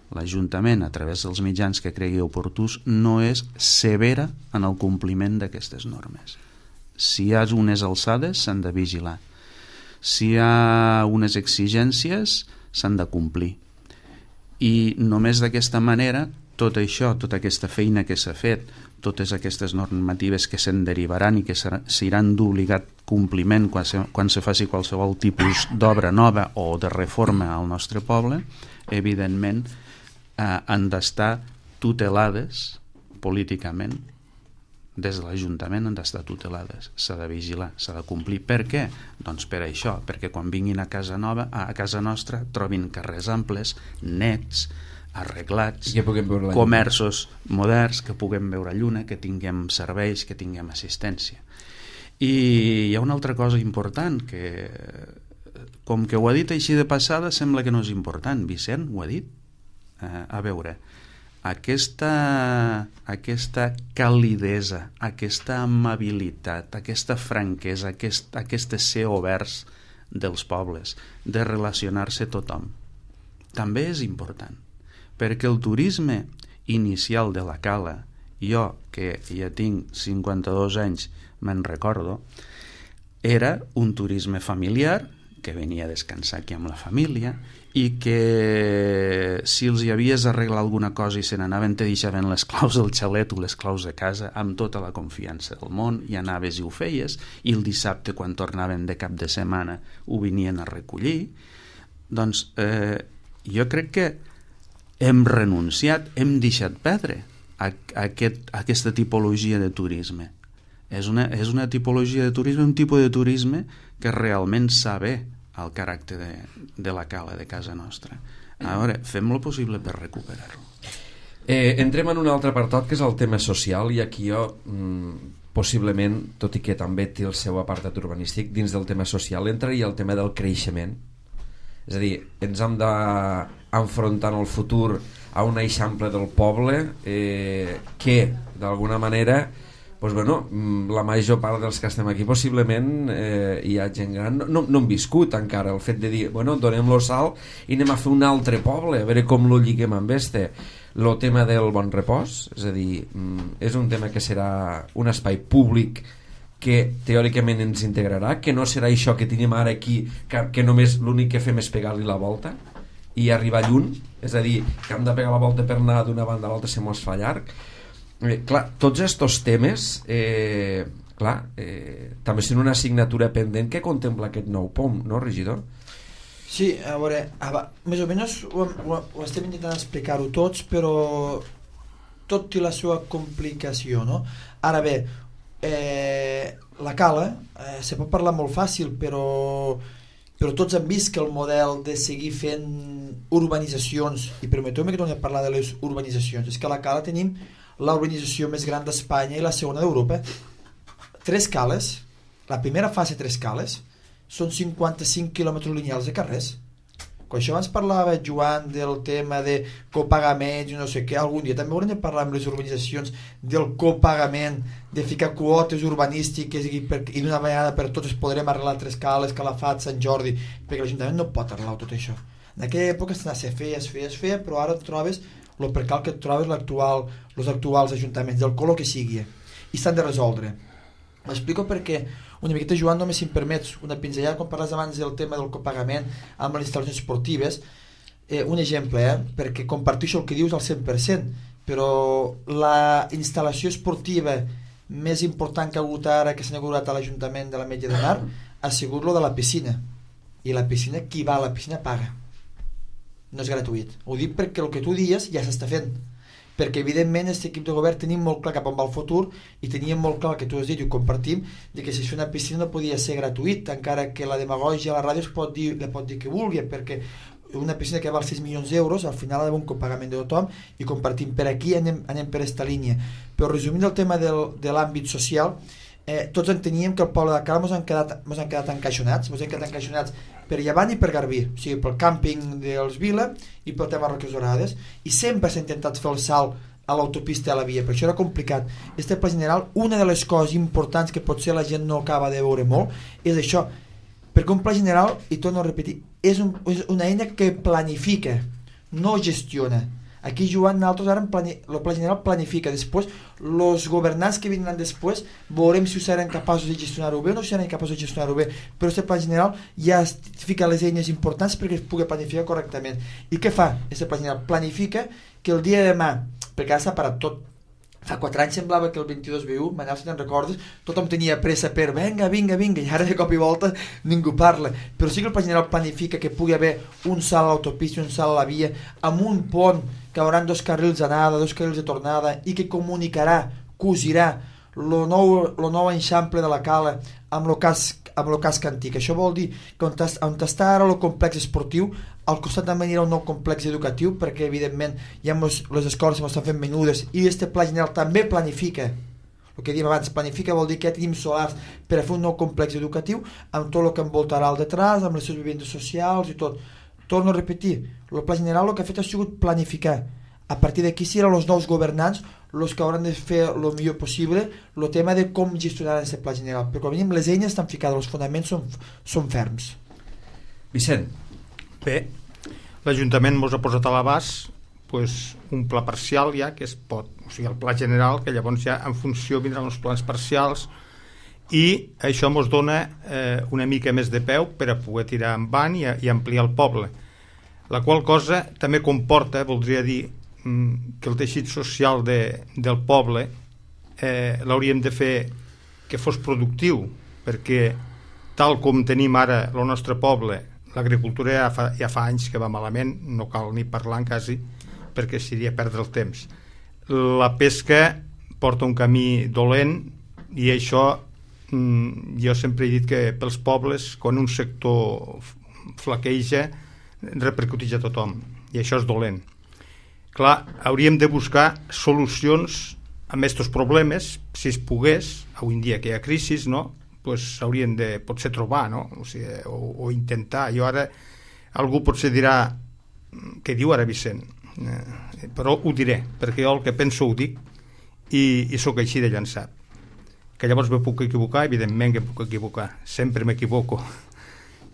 l'Ajuntament, a través dels mitjans que cregui oportús, no és severa en el compliment d'aquestes normes. Si hi ha unes alçades, s'han de vigilar. Si hi ha unes exigències, s'han de complir. I només d'aquesta manera, tot això, tota aquesta feina que s'ha fet, totes aquestes normatives que se'n derivaran i que seran d'obligat compliment quan se faci qualsevol tipus d'obra nova o de reforma al nostre poble, evidentment han d'estar tutelades políticament. Des de l'Ajuntament han d'estar tutelades, s'ha de vigilar, s'ha de complir. Per què? Doncs per això, perquè quan vinguin a casa nostra trobin carrers amples, nets, arreglats, comerços moderns, que puguem veure lluna, que tinguem serveis, que tinguem assistència. I hi ha una altra cosa important, que com que ho ha dit així de passada sembla que no és important. Vicent ho ha dit. A veure, aquesta calidesa, aquesta amabilitat, aquesta franquesa, aquest ser oberts dels pobles, de relacionar-se tothom, també és important, perquè el turisme inicial de la Cala, jo que ja tinc 52 anys me'n recordo, era un turisme familiar que venia a descansar aquí amb la família i que si els hi havies d'arreglar alguna cosa i se n'anaven te deixaven les claus del xalet o les claus de casa amb tota la confiança del món, i anaves i ho feies, i el dissabte quan tornaven de cap de setmana ho venien a recollir. Doncs jo crec que hem renunciat, hem deixat perdre aquesta tipologia de turisme. És una tipologia de turisme, un tipus de turisme que realment sabe el caràcter de la Cala de casa nostra. A veure, fem lo possible per recuperar-lo. Entrem en un altre apartat, que és el tema social, i aquí jo possiblement, tot i que també té el seu apartat urbanístic, dins del tema social entraria el tema del creixement. És a dir, ens hem d'enfrontar en el futur a un eixample del poble que d'alguna manera, doncs bueno, la major part dels que estem aquí possiblement hi ha gent gran, no hem viscut encara el fet de dir, bueno, donem-lo salt i anem a fer un altre poble, a veure com lo lliguem amb el tema del bon repòs. És a dir, és un tema que serà un espai públic que teòricament ens integrarà, que no serà això que tenim ara aquí, que només l'únic que fem és pegar-li la volta i arribar lluny, és a dir, que hem de pegar la volta per anar d'una banda a l'altra, se mos fa llarg. Clar, tots estos temes també són una assignatura pendent que contempla aquest nou POM, no, regidor? Sí, a veure, més o menys ho estem intentant explicar-ho tots, però tot té la seva complicació, no? Ara bé, la Cala se pot parlar molt fàcil, però tots han vist que el model de seguir fent urbanitzacions, i permeteu-me que torni a parlar de les urbanitzacions, és que a la Cala tenim la urbanització més gran d'Espanya i la segona d'Europa. 3 cales, la primera fase 3 cales, són 55 quilòmetres lineals de carrers. Quan això abans parlava, Joan, del tema de copagaments i no sé què, algun dia també haurem de parlar amb les urbanitzacions del copagament, de ficar quotes urbanístiques i d'una vegada per totes podrem arreglar 3 cales, Calafat, Sant Jordi, perquè l'Ajuntament no pot arreglar tot això. En aquella època es feia, però ara et trobes el percal que et trobes els actuals ajuntaments, del color que sigui, i s'han de resoldre. M'explico perquè una miqueta, Joan, només si em permets una pinzellada, quan parles abans del tema del copagament amb les instal·lacions esportives, un exemple, perquè comparteixo el que dius al 100%, però la instal·lació esportiva més important que ha hagut ara, que s'ha inaugurat a l'Ajuntament de l'Ametlla de Mar, ha sigut lo de la piscina, i la piscina, qui va a la piscina paga, no és gratuït. Ho dic perquè el que tu dies ja s'està fent, perquè evidentment aquest equip de govern tenim molt clar cap on va el futur i teníem molt clar el que tu has dit i ho compartim, de que si és una piscina no podia ser gratuït, encara que la demagògia a la ràdio pot dir que vulgui, perquè una piscina que val 6 milions d'euros al final ha d'haver un copagament de tothom, i compartim per aquí, anem per aquesta línia. Però resumint el tema de l'àmbit social, tots enteníem que el poble de Cala mos han quedat encaixonats per Llevant i per Garbí, o sigui, pel càmping dels Vila i pel tema Roques Dorades, i sempre s'ha intentat fer el salt a l'autopista i a la via, per això era complicat. Este pla general, una de les coses importants que potser la gent no acaba de veure molt, és això, perquè un pla general, i torno a repetir, és una eina que planifica, no gestiona. Aquí, Joan, nosaltres ara el Pla General planifica. Després, els governants que vindran després, veurem si seran capaços de gestionar-ho bé o no seran capaços de gestionar-ho bé. Però aquest Pla General ja fica les eines importants perquè es pugui planificar correctament. I què fa aquest Pla General? Planifica que el dia de demà, perquè ara s'ha parat tot, fa 4 anys semblava que el 22B1, Manel, si te'n recordes, tothom tenia pressa per vinga, i ara de cop i volta ningú parla. Però sí que el Pla General planifica que pugui haver un salt a l'autopista i un salt a la via, amb un pont que haurà 2 carrils d'anada, 2 carrils de tornada, i que comunicarà, cosirà el nou eixample de la Cala amb el casc antic. Això vol dir que on està ara el complex esportiu, al costat també anirà un nou complex educatiu, perquè evidentment ja les escoles estan fent menudes, i aquest Pla General també planifica, el que dèiem abans, planifica vol dir que ja tenim solars per a fer un nou complex educatiu, amb tot el que envoltarà al detrás, amb les seves vivendes socials i tot. Torno a repetir, el Pla General el que ha fet ha sigut planificar. A partir d'aquí seran els nous governants els que hauran de fer el millor possible el tema de com gestionar aquest Pla General, perquè com a mínim les eines estan ficades, els fonaments són ferms. Vicent. Bé, l'Ajuntament ens ha posat a l'abast un pla parcial ja que es pot, o sigui el pla general, que llavors ja en funció vindran els plans parcials, i això ens dona una mica més de peu per a poder tirar endavant i ampliar el poble, la qual cosa també comporta, voldria dir, que el teixit social del poble l'hauríem de fer que fos productiu, perquè tal com tenim ara el nostre poble, l'agricultura ja fa anys que va malament, no cal ni parlar quasi, perquè seria perdre el temps. La pesca porta un camí dolent, i això jo sempre he dit que pels pobles, quan un sector flaqueja, repercuteix a tothom, i això és dolent. Clar, hauríem de buscar solucions a aquests problemes, si es pogués, avui en dia que hi ha crisi, no? Haurien de potser trobar, no? O intentar. Jo ara, algú potser dirà què diu ara Vicent, però ho diré, perquè jo el que penso ho dic, i sóc així de llançat, que llavors me puc equivocar, evidentment que em puc equivocar, sempre m'equivoco,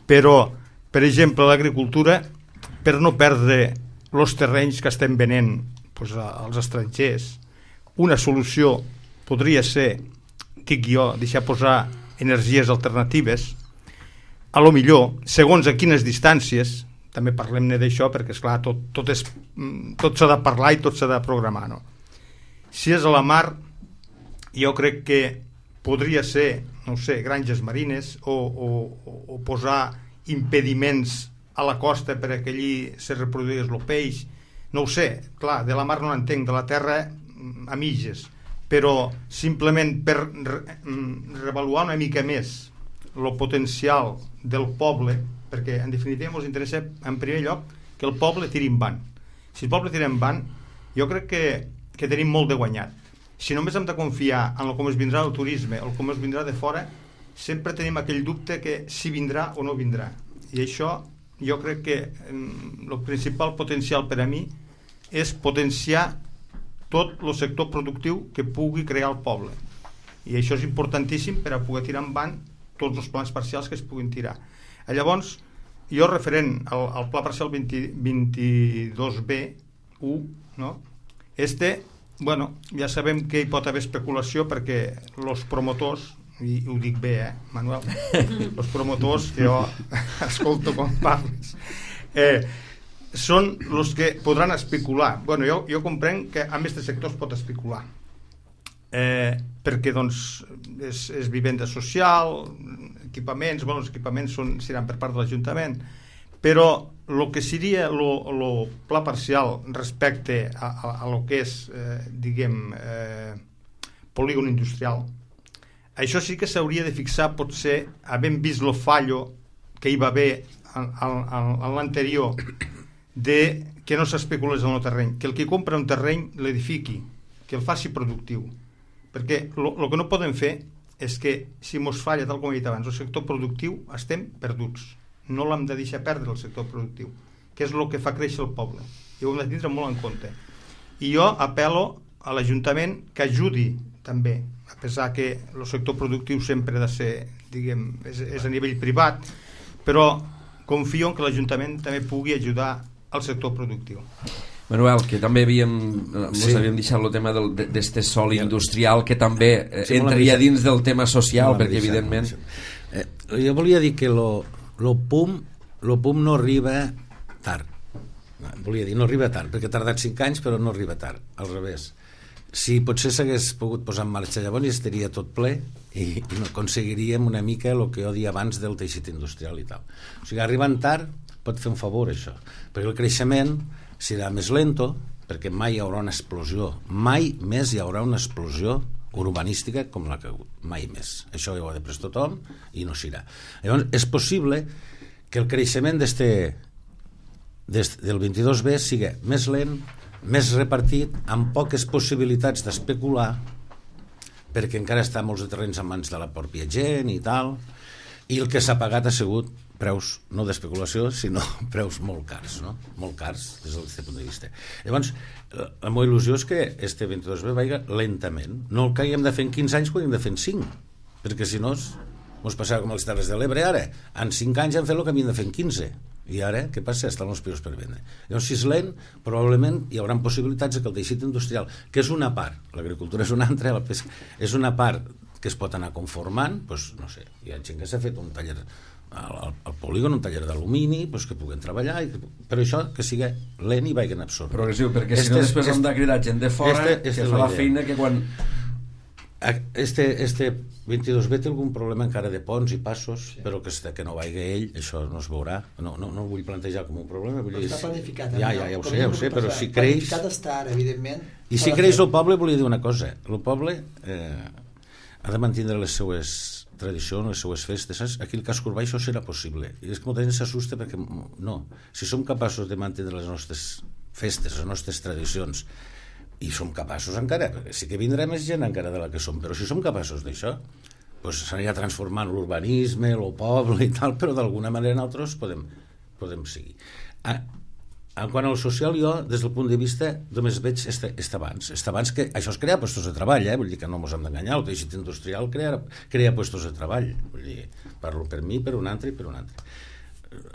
però per exemple l'agricultura, per no perdre els terrenys que estem venent als estrangers, una solució podria ser, dic jo, deixar posar energies alternatives, a lo millor, segons a quines distàncies, també parlem-ne d'això, perquè esclar, tot s'ha de parlar i tot s'ha de programar, no? Si és a la mar, jo crec que podria ser, no sé, granges marines o posar impediments a la costa per que allí se reproduís el peix, no ho sé, clar, de la mar no entenc, de la terra a mitges, però simplement per revaluar una mica més el potencial del poble, perquè en definitiva ens interessa en primer lloc que el poble tiri endavant. Si el poble tira endavant, jo crec que tenim molt de guanyat. Si només hem de confiar en com es vindrà el turisme o com es vindrà de fora, sempre tenim aquell dubte que si vindrà o no vindrà. I això jo crec que el principal potencial per a mi és potenciar tot el sector productiu que pugui crear el poble, i això és importantíssim per a poder tirar endavant tots els plans parcials que es puguin tirar. Llavors, jo referent al pla parcial 22B1, no? Bueno, ja sabem que hi pot haver especulació perquè els promotors, i ho dic bé, Manuel, els promotors que jo escolto quan parles, són els que podran especular. Bueno, jo comprenc que en aquest sector es pot especular, perquè doncs és vivenda social, equipaments, bueno, els equipaments seran per part de l'Ajuntament, però el que seria el pla parcial respecte a lo que és, polígon industrial, això sí que s'hauria de fixar, potser, havent vist el fallo que hi va haver en l'anterior, de que no s'especulés en el terreny, que el que compra un terreny l'edifiqui, que el faci productiu, perquè el que no podem fer és que si mos falla, tal com he dit abans, el sector productiu, estem perduts, no l'hem de deixar perdre el sector productiu, que és el que fa créixer el poble, i ho hem de tindre molt en compte. I jo apel·lo a l'Ajuntament que ajudi també, a pesar que el sector productiu sempre ha de ser, és a nivell privat, però confio en que l'Ajuntament també pugui ajudar al sector productiu. Manuel, que també havíem deixat el tema d'este sòl industrial que també entraria dins del tema social, perquè evidentment... Jo volia dir que lo PUM no arriba tard. Volia dir, no arriba tard, perquè ha tardat 5 anys, però no arriba tard, al revés. Si potser s'hagués pogut posar en marxa llavors estaria tot ple i no aconseguiríem una mica el que jo dia abans del teixit industrial i tal. O sigui, arribant tard pot fer un favor això, perquè el creixement serà més lento, perquè mai hi haurà una explosió, mai més hi haurà una explosió urbanística com la que ha hagut, mai més. Això ja ho ha de pres tothom i no s'irà. Llavors, és possible que el creixement del 22B sigui més lent, més repartit, amb poques possibilitats d'especular, perquè encara està molts de terrenys en mans de la pròpia gent i tal, i el que s'ha pagat ha sigut preus, no d'especulació, sinó preus molt cars, no? Molt cars des d'aquest punt de vista. Llavors, la meva il·lusió és que este 22B vagi lentament. No el que haguem de fer en 15 anys, ho haguem de fer en 5, perquè si no ens passava com les Terres de l'Ebre ara. En 5 anys hem fet el que havíem de fer en 15. I ara, què passa? Estan els pisos per vendre. Llavors, si és lent, probablement hi haurà possibilitats que el teixit industrial, que és una part, l'agricultura és una altra, la pesca és una part que es pot anar conformant, doncs, no sé, hi ha gent que s'ha fet un taller al polígon, un taller d'alumini, doncs, que puguen treballar, però això que sigui lent i vagin absorbent. Progressiu, perquè si no després hem de cridar gent de fora que fa la feina que quan... Este 22B té algun problema encara de ponts i passos, sí. Però que no vagi ell, això no es veurà. No ho vull plantejar com un problema. Però està planificat. Ja ho sé, però si creix... Planificat està ara, evidentment. I si creix el poble, volia dir una cosa. El poble ha de mantenir les seues tradicions, les seues festes. Saps? Aquí el casc urbà això serà possible. I és que molta gent s'assusta perquè no. Si som capaços de mantenir les nostres festes, les nostres tradicions, i som capaços encara, perquè sí que vindrà més gent encara de la que som, però si som capaços d'això, doncs s'anirà transformant l'urbanisme, el poble i tal, però d'alguna manera nosaltres podem seguir. En quant al social, jo, des del punt de vista, només veig este abans que això es crea llocs de treball, vull dir que no ens hem d'enganyar, el teixit industrial crea llocs de treball, vull dir, parlo per mi, per un altre i per un altre.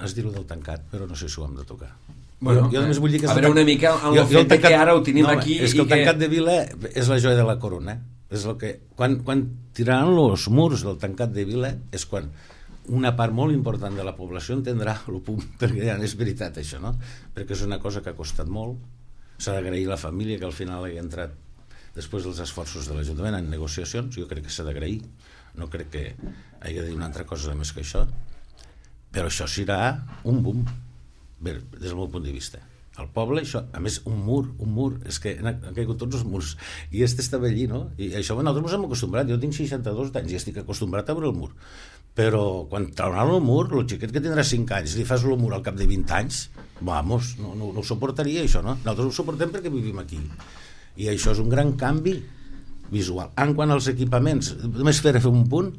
Has dit-ho del tancat, però no sé si ho hem de tocar. Bueno, jo només vull dir que a veure una mica en el fet que ara ho tenim aquí és que el tancat de vila és la joia de la corona, és el que quan tiraran els murs del tancat de vila és quan una part molt important de la població entendrà el punt, perquè ja és veritat això, no? Perquè és una cosa que ha costat molt, s'ha d'agrair a la família que al final hagi entrat després dels esforços de l'Ajuntament en negociacions, jo crec que s'ha d'agrair, no crec que hagi de dir una altra cosa més que això, però això serà un boom. Bé, des del meu punt de vista el poble, això, a més un mur és que han caigut tots els murs i estava allí, no? I això nosaltres ens hem acostumbrat, jo tinc 62 anys i estic acostumbrat a veure el mur, però quan trauran el mur, el xiquet que tindrà 5 anys li fas el mur al cap de 20 anys vamos, no ho suportaria això, no? Nosaltres ho suportem perquè vivim aquí i això és un gran canvi visual. En quant als equipaments, només fer un punt,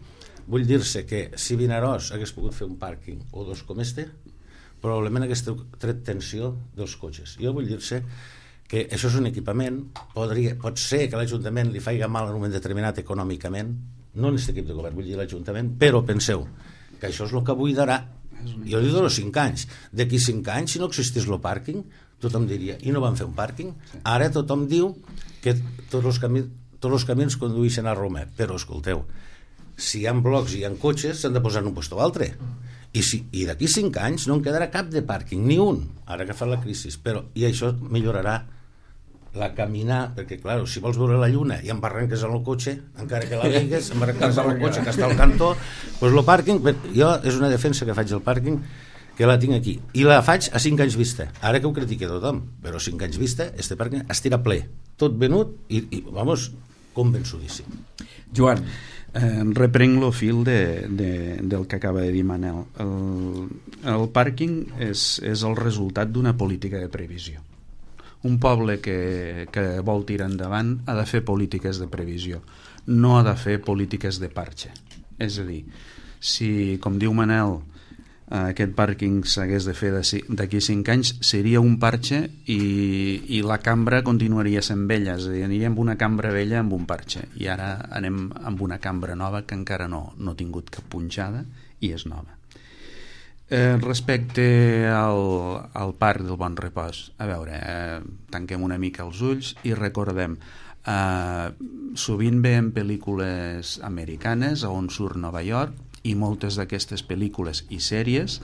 vull dir-se que si Vinaròs hagués pogut fer un pàrquing o dos com este, probablement hagués tret tensió dels cotxes. Jo vull dir-se que això és un equipament, pot ser que l'Ajuntament li faci mal en un moment determinat econòmicament, no en aquest equip de govern, vull dir l'Ajuntament, però penseu que això és el que buidarà. Jo li dono 5 anys. D'aquí 5 anys, si no existís el pàrquing, tothom diria, i no van fer un pàrquing? Ara tothom diu que tots els camins condueixen a Roma, però escolteu, si hi ha blocs i hi ha cotxes, s'han de posar en un lloc o altre. I d'aquí 5 anys no en quedarà cap de pàrquing, ni un, ara que fa la crisi, i això millorarà la caminar, perquè clar, si vols veure la lluna i embarranques en el cotxe, encara que la veigues, embarranques en el cotxe que està al cantó, doncs el pàrquing, jo és una defensa que faig del pàrquing, que la tinc aquí, i la faig a 5 anys vista, ara que ho critica tothom, però a 5 anys vista, este pàrquing estirà ple, tot venut, i vamos, convençudíssim. Joan, reprenc el fil del que acaba de dir Manel. El pàrquing és el resultat d'una política de previsió. Un poble que vol tirar endavant ha de fer polítiques de previsió, no ha de fer polítiques de parche. És a dir, si, com diu Manel, aquest pàrquing s'hagués de fer d'aquí 5 anys, seria un parche i la cambra continuaria sent vella, és a dir, aniríem amb una cambra vella amb un parche, i ara anem amb una cambra nova que encara no ha tingut cap punxada i és nova. Respecte al Parc del Bon Repòs, a veure, tanquem una mica els ulls i recordem, sovint veiem pel·lícules americanes on surt Nova York, i moltes d'aquestes pel·lícules i sèries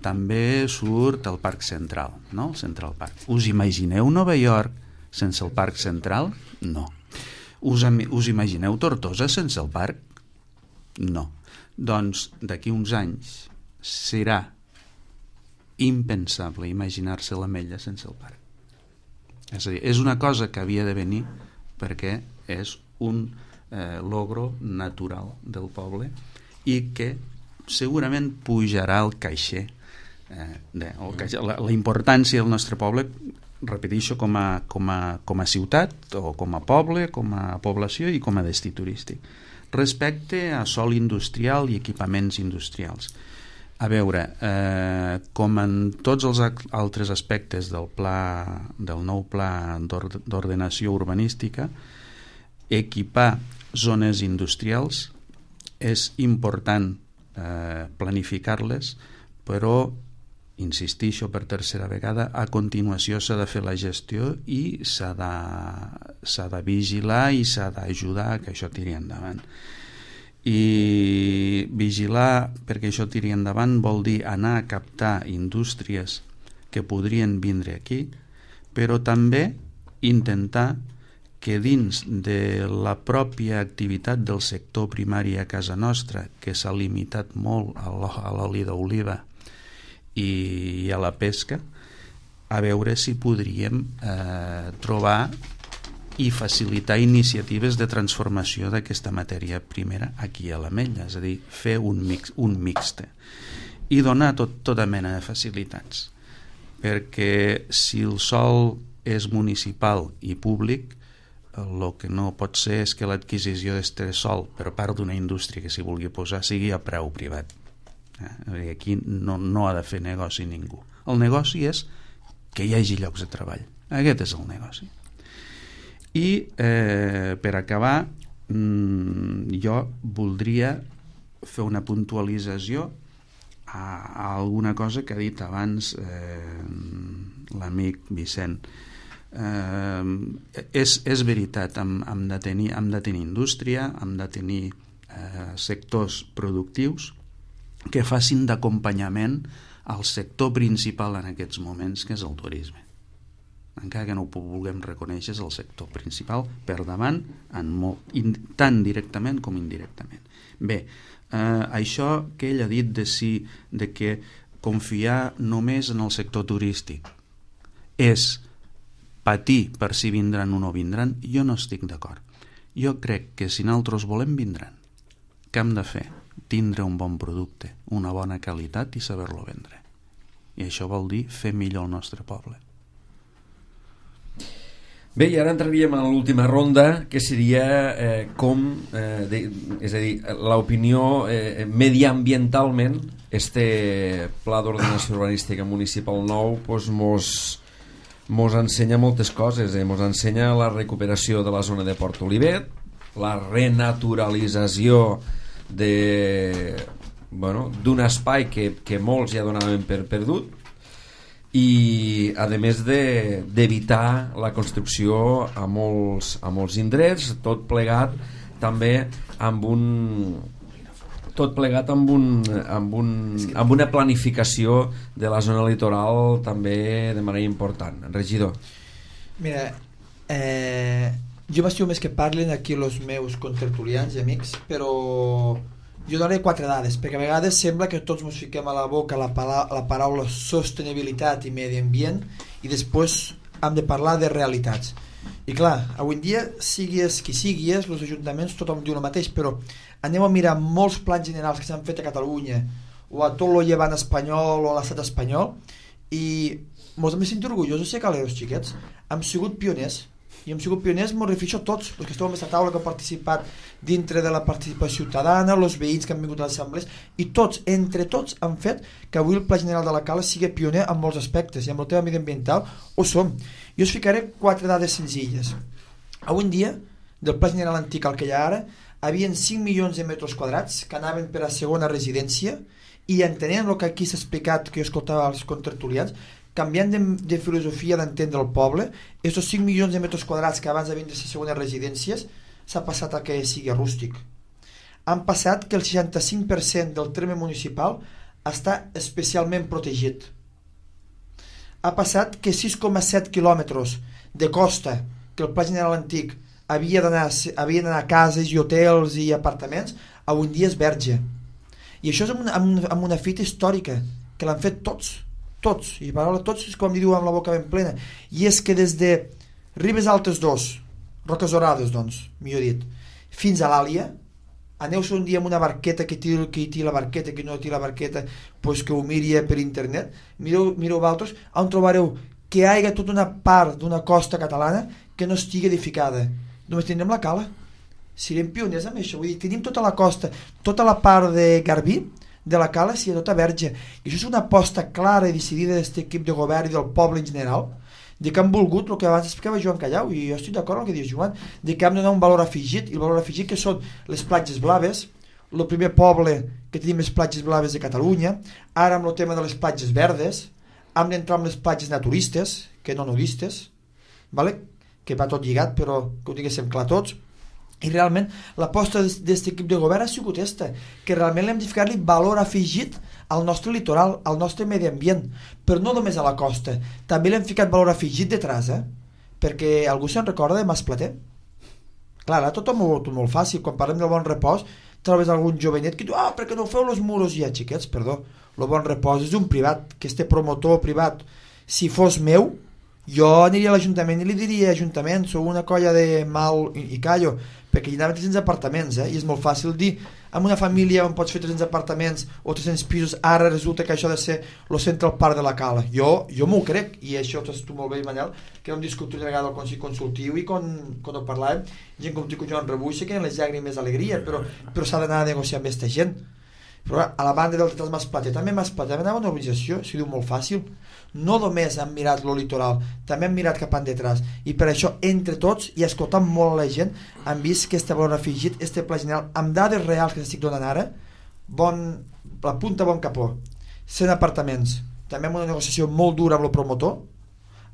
també surt el Parc Central, no? El Central Park. Us imagineu Nova York sense el Parc Central? No. Us imagineu Tortosa sense el parc? No. Doncs d'aquí uns anys serà impensable imaginar-se l'Ametlla sense el parc. És a dir, és una cosa que havia de venir perquè és un logro natural del poble i que segurament pujarà al caixer. La importància del nostre poble, repeteixo, com a ciutat o com a poble, com a població i com a destí turístic. Respecte a sòl industrial i equipaments industrials, a veure, com en tots els altres aspectes del nou pla d'ordenació urbanística, equipar zones industrials és important planificar-les, però insistixo per tercera vegada, a continuació s'ha de fer la gestió i s'ha de vigilar i s'ha d'ajudar a que això tiri endavant. I vigilar perquè això tiri endavant vol dir anar a captar indústries que podrien vindre aquí, però també intentar que dins de la pròpia activitat del sector primari a casa nostra, que s'ha limitat molt a l'oli d'oliva i a la pesca, a veure si podríem trobar i facilitar iniciatives de transformació d'aquesta matèria primera aquí a l'Ametlla, és a dir, fer un mixte i donar tota mena de facilitats, perquè si el sòl és municipal i públic, el que no pot ser és que l'adquisició d'aquest sòl per part d'una indústria que s'hi vulgui posar sigui a preu privat. Aquí no ha de fer negoci ningú. El negoci és que hi hagi llocs de treball. Aquest és el negoci. I per acabar, jo voldria fer una puntualització a alguna cosa que ha dit abans l'amic Vicent. És veritat, hem de tenir indústria, hem de tenir sectors productius que facin d'acompanyament al sector principal en aquests moments, que és el turisme. Encara que no ho vulguem reconèixer, és el sector principal per davant, tant directament com indirectament. Bé, això que ell ha dit de que confiar només en el sector turístic és patir per si vindran o no vindran, jo no estic d'acord. Jo crec que si nosaltres volem vindran, què hem de fer? Tindre un bon producte, una bona qualitat i saber-lo vendre. I això vol dir fer millor el nostre poble. Bé, i ara entraríem en l'última ronda, que seria és a dir, l'opinió mediambientalment, este pla d'ordenació urbanística municipal nou mos ensenya moltes coses, mos ensenya la recuperació de la zona de Port Olivet, la renaturalització d'un espai que molts ja donaven per perdut, i a més d'evitar la construcció a molts indrets, tot plegat també amb una planificació de la zona litoral també de manera important. Regidor. Mira, jo m'estimo més que parlin aquí els meus contertulians i amics, però jo donaré 4 dades, perquè a vegades sembla que tots ens fiquem a la boca la paraula sostenibilitat i medi ambient i després hem de parlar de realitats. I clar, avui en dia, sigues qui siguis, els ajuntaments tothom diu el mateix, però anem a mirar molts plans generals que s'han fet a Catalunya o a tot el llevant espanyol o a l'estat espanyol i ens hem de sentir orgullosos de ser caleros, xiquets. Hem sigut pioners. I hem sigut pioners, m'ho refereixo a tots els que esteu en aquesta taula, que han participat dintre de la participació ciutadana, els veïns que han vingut a les assemblees, i tots, entre tots, han fet que avui el Pla General de la Cala sigui pioner en molts aspectes, i amb el tema mediambiental ho som. Jo us ficaré 4 dades senzilles. Avui en dia, del Pla General antic al que hi ha ara, havien 5 milions de metres quadrats que anaven per a segona residència i entenent el que aquí s'ha explicat, que jo escoltava els contertulians, canviant de filosofia d'entendre el poble, aquests 5 milions de metres quadrats que abans havien de ser segones residències s'ha passat a que sigui rústic. Han passat que el 65% del terme municipal està especialment protegit. Ha passat que 6,7 quilòmetres de costa que el Pla General Antic havien d'anar a cases i hotels i apartaments, avui en dia és verge. I això és amb una fita històrica, que l'han fet tots, i paraula tots és com diu amb la boca ben plena, i és que des de Ribes Altes 2, Roques Dorades, doncs, millor dit, fins a l'Àlia, aneu-se un dia amb una barqueta que té la barqueta, que no té la barqueta, pues que ho miri per internet, mireu vosaltres, on trobareu que hi hagi tota una part d'una costa catalana que no estigui edificada. Només tindrem la Cala. Serem pioners amb això. Vull dir, tenim tota la costa, tota la part de Garbí, de la Cala, si tota verge. I això és una aposta clara i decidida d'aquest equip de govern i del poble en general, de que han volgut, el que abans explicava Joan Callau, i jo estic d'acord amb el que diu Joan, de que hem de donar un valor afegit, i el valor afegit que són les platges blaves, el primer poble que tenim les platges blaves de Catalunya, ara amb el tema de les platges verdes, hem d'entrar amb les platges naturistes, que no nudistes, vale? Que va tot lligat, però que ho diguéssim clar tots, i realment l'aposta d'aquest equip de govern ha sigut aquesta, que realment l'hem de ficar-li valor afegit al nostre litoral, al nostre medi ambient, però no només a la costa, també l'hem ficat valor afegit detrás, perquè algú se'n recorda de Masplater? Clar, ara tot molt fàcil, quan parlem del Bon Repòs trobes algun jovenet que diu, perquè no feu los muros ja, xiquets, perdó, el Bon Repòs és un privat, que este promotor privat, si fos meu, jo aniria a l'Ajuntament i li diria, Ajuntament, sou una colla de mal i callo, perquè hi anaven 300 apartaments, i és molt fàcil dir, amb una família on pots fer 300 apartaments o 300 pisos, ara resulta que això ha de ser el Central Park de la Cala. Jo m'ho crec, i això ho saps tu molt bé, Manel, que vam discutir una vegada al Consell Consultiu i quan ho parlàvem, gent com tu i Joan Rebuixa, que en les llàgrimes d'alegria, però s'ha d'anar a negociar amb aquesta gent. Però a la banda del Teatre Masplater, també Masplater anava a una organització, s'ho diu molt fàcil, no només han mirat lo litoral, també han mirat cap endetrás, i per això entre tots i escoltant molt a la gent han vist que este valor afegit, este pla general amb dades reals que estic donant ara, la punta bon capó, 100 apartaments, també amb una negociació molt dura amb el promotor,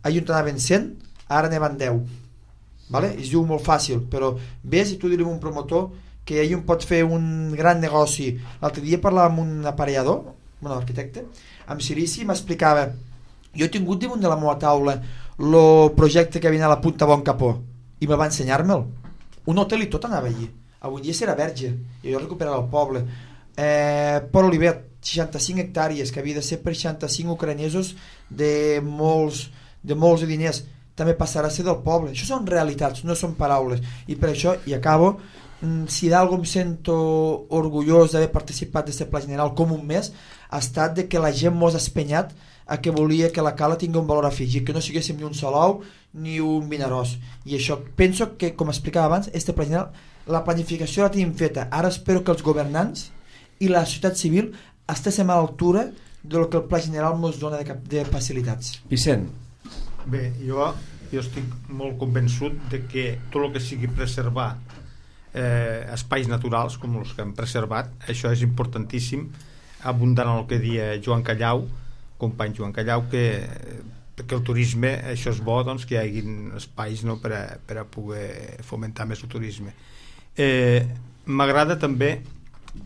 ahir on anaven 100, ara n'hi 10, vale? Es diu molt fàcil, però ves i tu direm un promotor que ahir pot fer un gran negoci. L'altre dia parlava amb un aparellador, un arquitecte, amb Sirici, m'explicava, jo he tingut damunt de la meva taula el projecte que havia a la Punta Bon Capó i me va ensenyar-me'l. Un hotel i tot anava allí. Avui dia serà verge i jo recuperarà el poble. Port Olivet, 65 hectàrees que havia de ser per 65 ucranesos de molts diners, també passarà a ser del poble. Això són realitats, no són paraules, i per això, i acabo, si d'algú em sento orgullós d'haver participat d'aquest pla general com un mes, ha estat de que la gent mos ha espenyat a que volia que la Cala tingui un valor afegit, que no siguéssim ni un Salou ni un Vinaròs, i això penso que, com explicava abans, este pla general, la planificació la tenim feta, ara espero que els governants i la societat civil estiguem a l'altura del que el pla general ens dona de facilitats. Vicent. Bé, jo estic molt convençut de que tot el que sigui preservar espais naturals com els que hem preservat, això és importantíssim, abundant en el que deia Joan Callau, company Joan Callau, que el turisme, això és bo, doncs, que hi hagi espais, no, per a poder fomentar més el turisme. M'agrada també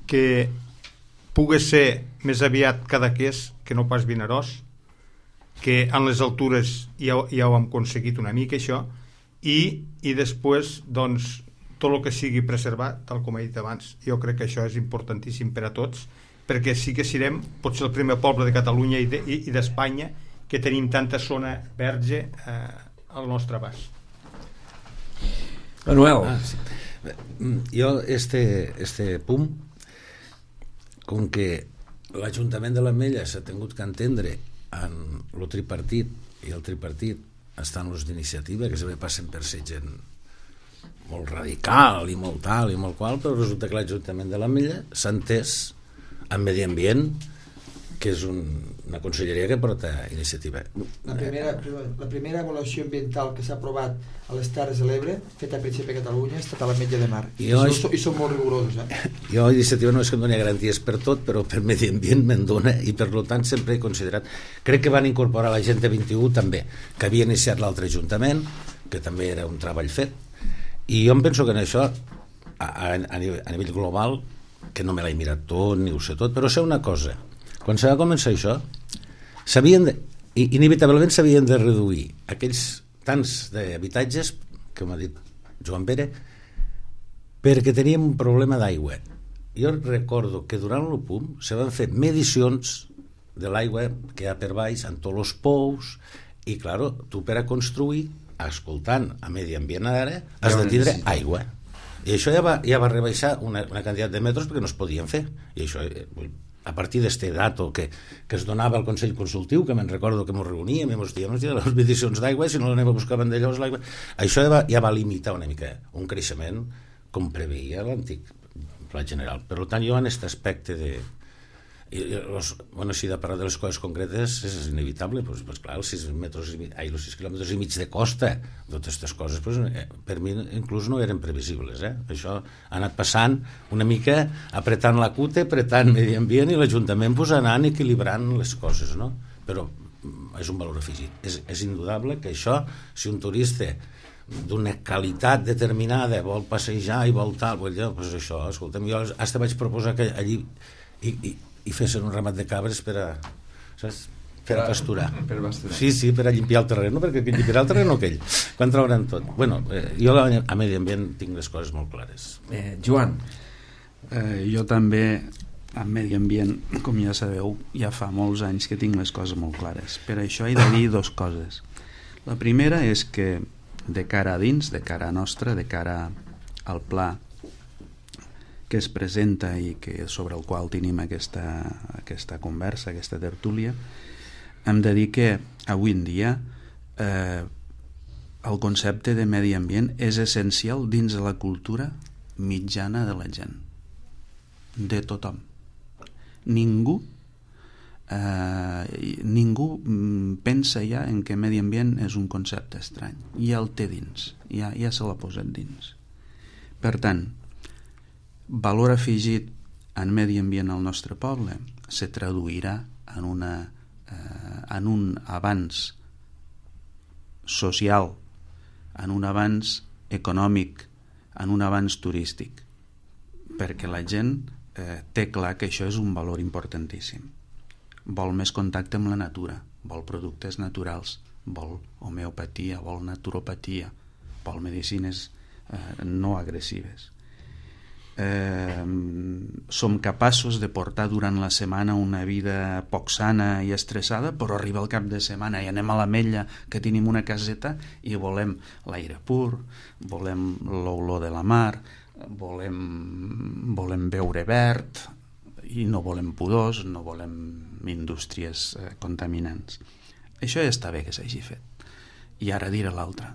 que pugui ser més aviat Cadaqués que no pas Vinaròs, que en les altures ja ho hem aconseguit una mica això, i després doncs tot el que sigui preservat, tal com he dit abans. Jo crec que això és importantíssim per a tots, perquè sí que serem potser el primer poble de Catalunya i d'Espanya que tenim tanta zona verge al nostre abast. Manuel. Sí. Jo este punt, com que l'Ajuntament de l'Ametlla s'ha tingut que entendre en el tripartit, i el tripartit està en l'ús d'iniciativa, que sempre passen per ser gent molt radical i molt tal i molt qual, però resulta que l'Ajuntament de l'Ametlla s'ha entès en medi ambient que és una conselleria que porta iniciativa. La primera avaluació ambiental que s'ha aprovat a les Terres de l'Ebre, feta a principi a Catalunya, ha estat a l'Ametlla de Mar. I són molt rigorosos. Jo a iniciativa no és que em doni garanties per tot, però per medi ambient me'n dona, i per tant sempre he considerat... Crec que van incorporar la gent de 21 també, que havia iniciat l'altre ajuntament, que també era un treball fet, i jo em penso que en això, a nivell global, que no me l'he mirat tot, ni ho sé tot, però sé una cosa: quan se va començar això, inevitablement s'havien de reduir aquells tants d'habitatges, que m'ha dit Joan Pere, perquè teníem un problema d'aigua. Jo recordo que durant l'OPUM se van fer medicions de l'aigua que hi ha per baix, en tots els pous, i, claro, tu per a construir, escoltant a Medi Ambient ara, has de tindre aigua. I això ja va rebaixar una quantitat de metres perquè no es podien fer. I això, a partir d'este dato que es donava al Consell Consultiu, que me'n recordo que ens reuníem i ens dèiem les medicions d'aigua, si no l'anem a buscar Vandellós, l'aigua... Això ja va limitar una mica un creixement com preveia l'antic Pla General. Per tant, jo en aquest aspecte de... si de parlar de les coses concretes és inevitable, doncs clar, els 6 quilòmetres i mig de costa, totes aquestes coses per mi inclús no eren previsibles. Això ha anat passant una mica apretant la cute, apretant Medi Ambient, i l'Ajuntament anant equilibrant les coses, no? Però és un valor afegit. És indudable que això, si un turista d'una qualitat determinada vol passejar i vol tal, doncs això, escolta'm, jo hasta vaig proposar que allí i fessin un ramat de cabres per a pasturar. Sí, per a limpiar el terreny, perquè limpiarà el terreny aquell, quan trauran tot. Jo a Medi Ambient tinc les coses molt clares. Joan. Jo també a Medi Ambient, com ja sabeu, ja fa molts anys que tinc les coses molt clares. Per això he de dir 2 coses. La primera és que de cara a dins, de cara a nostra, de cara al pla que es presenta i sobre el qual tenim aquesta conversa, aquesta tertúlia, hem de dir que avui en dia el concepte de medi ambient és essencial dins de la cultura mitjana de la gent, de tothom. Ningú pensa ja en que medi ambient és un concepte estrany, ja el té dins, ja se l'ha posat dins. Per tant, valor afegit en medi ambient al nostre poble se traduirà en un avanç social, en un avanç econòmic, en un avanç turístic, perquè la gent té clar que això és un valor importantíssim. Vol més contacte amb la natura, vol productes naturals, vol homeopatia, vol naturopatia, vol medicines no agressives. Som capaços de portar durant la setmana una vida poc sana i estressada, però arriba el cap de setmana i anem a l'Ametlla, que tenim una caseta, i volem l'aire pur, volem l'olor de la mar, volem beure verd, i no volem pudors, no volem indústries contaminants. Això ja està bé que s'hagi fet. I ara diré l'altre.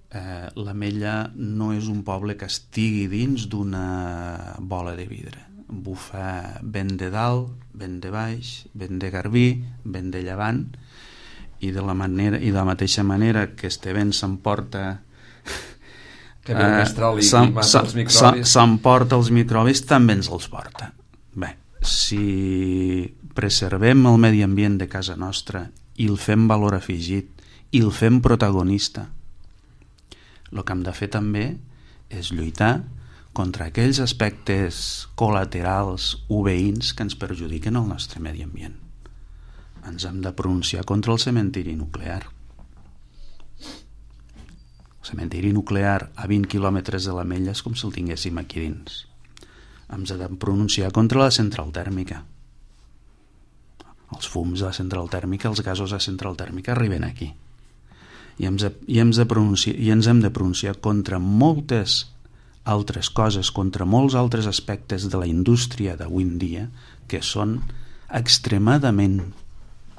L'Ametlla no és un poble que estigui dins d'una bola de vidre. Bufa vent de dalt, vent de baix, vent de garbí, vent de llevant, i de la mateixa manera que este vent s'emporta s'emporta els microbis, també ens els porta. Bé, si preservem el medi ambient de casa nostra i el fem valor afegit i el fem protagonista, el que hem de fer també és lluitar contra aquells aspectes col·laterals o veïns que ens perjudiquen el nostre medi ambient. Ens hem de pronunciar contra el cementiri nuclear. El cementiri nuclear a 20 quilòmetres de l'Ametlla és com si el tinguéssim aquí dins. Hem de pronunciar contra la central tèrmica. Els fums de la central tèrmica, els gasos de la central tèrmica arriben aquí. I ens hem de pronunciar contra moltes altres coses, contra molts altres aspectes de la indústria d'avui en dia que són extremadament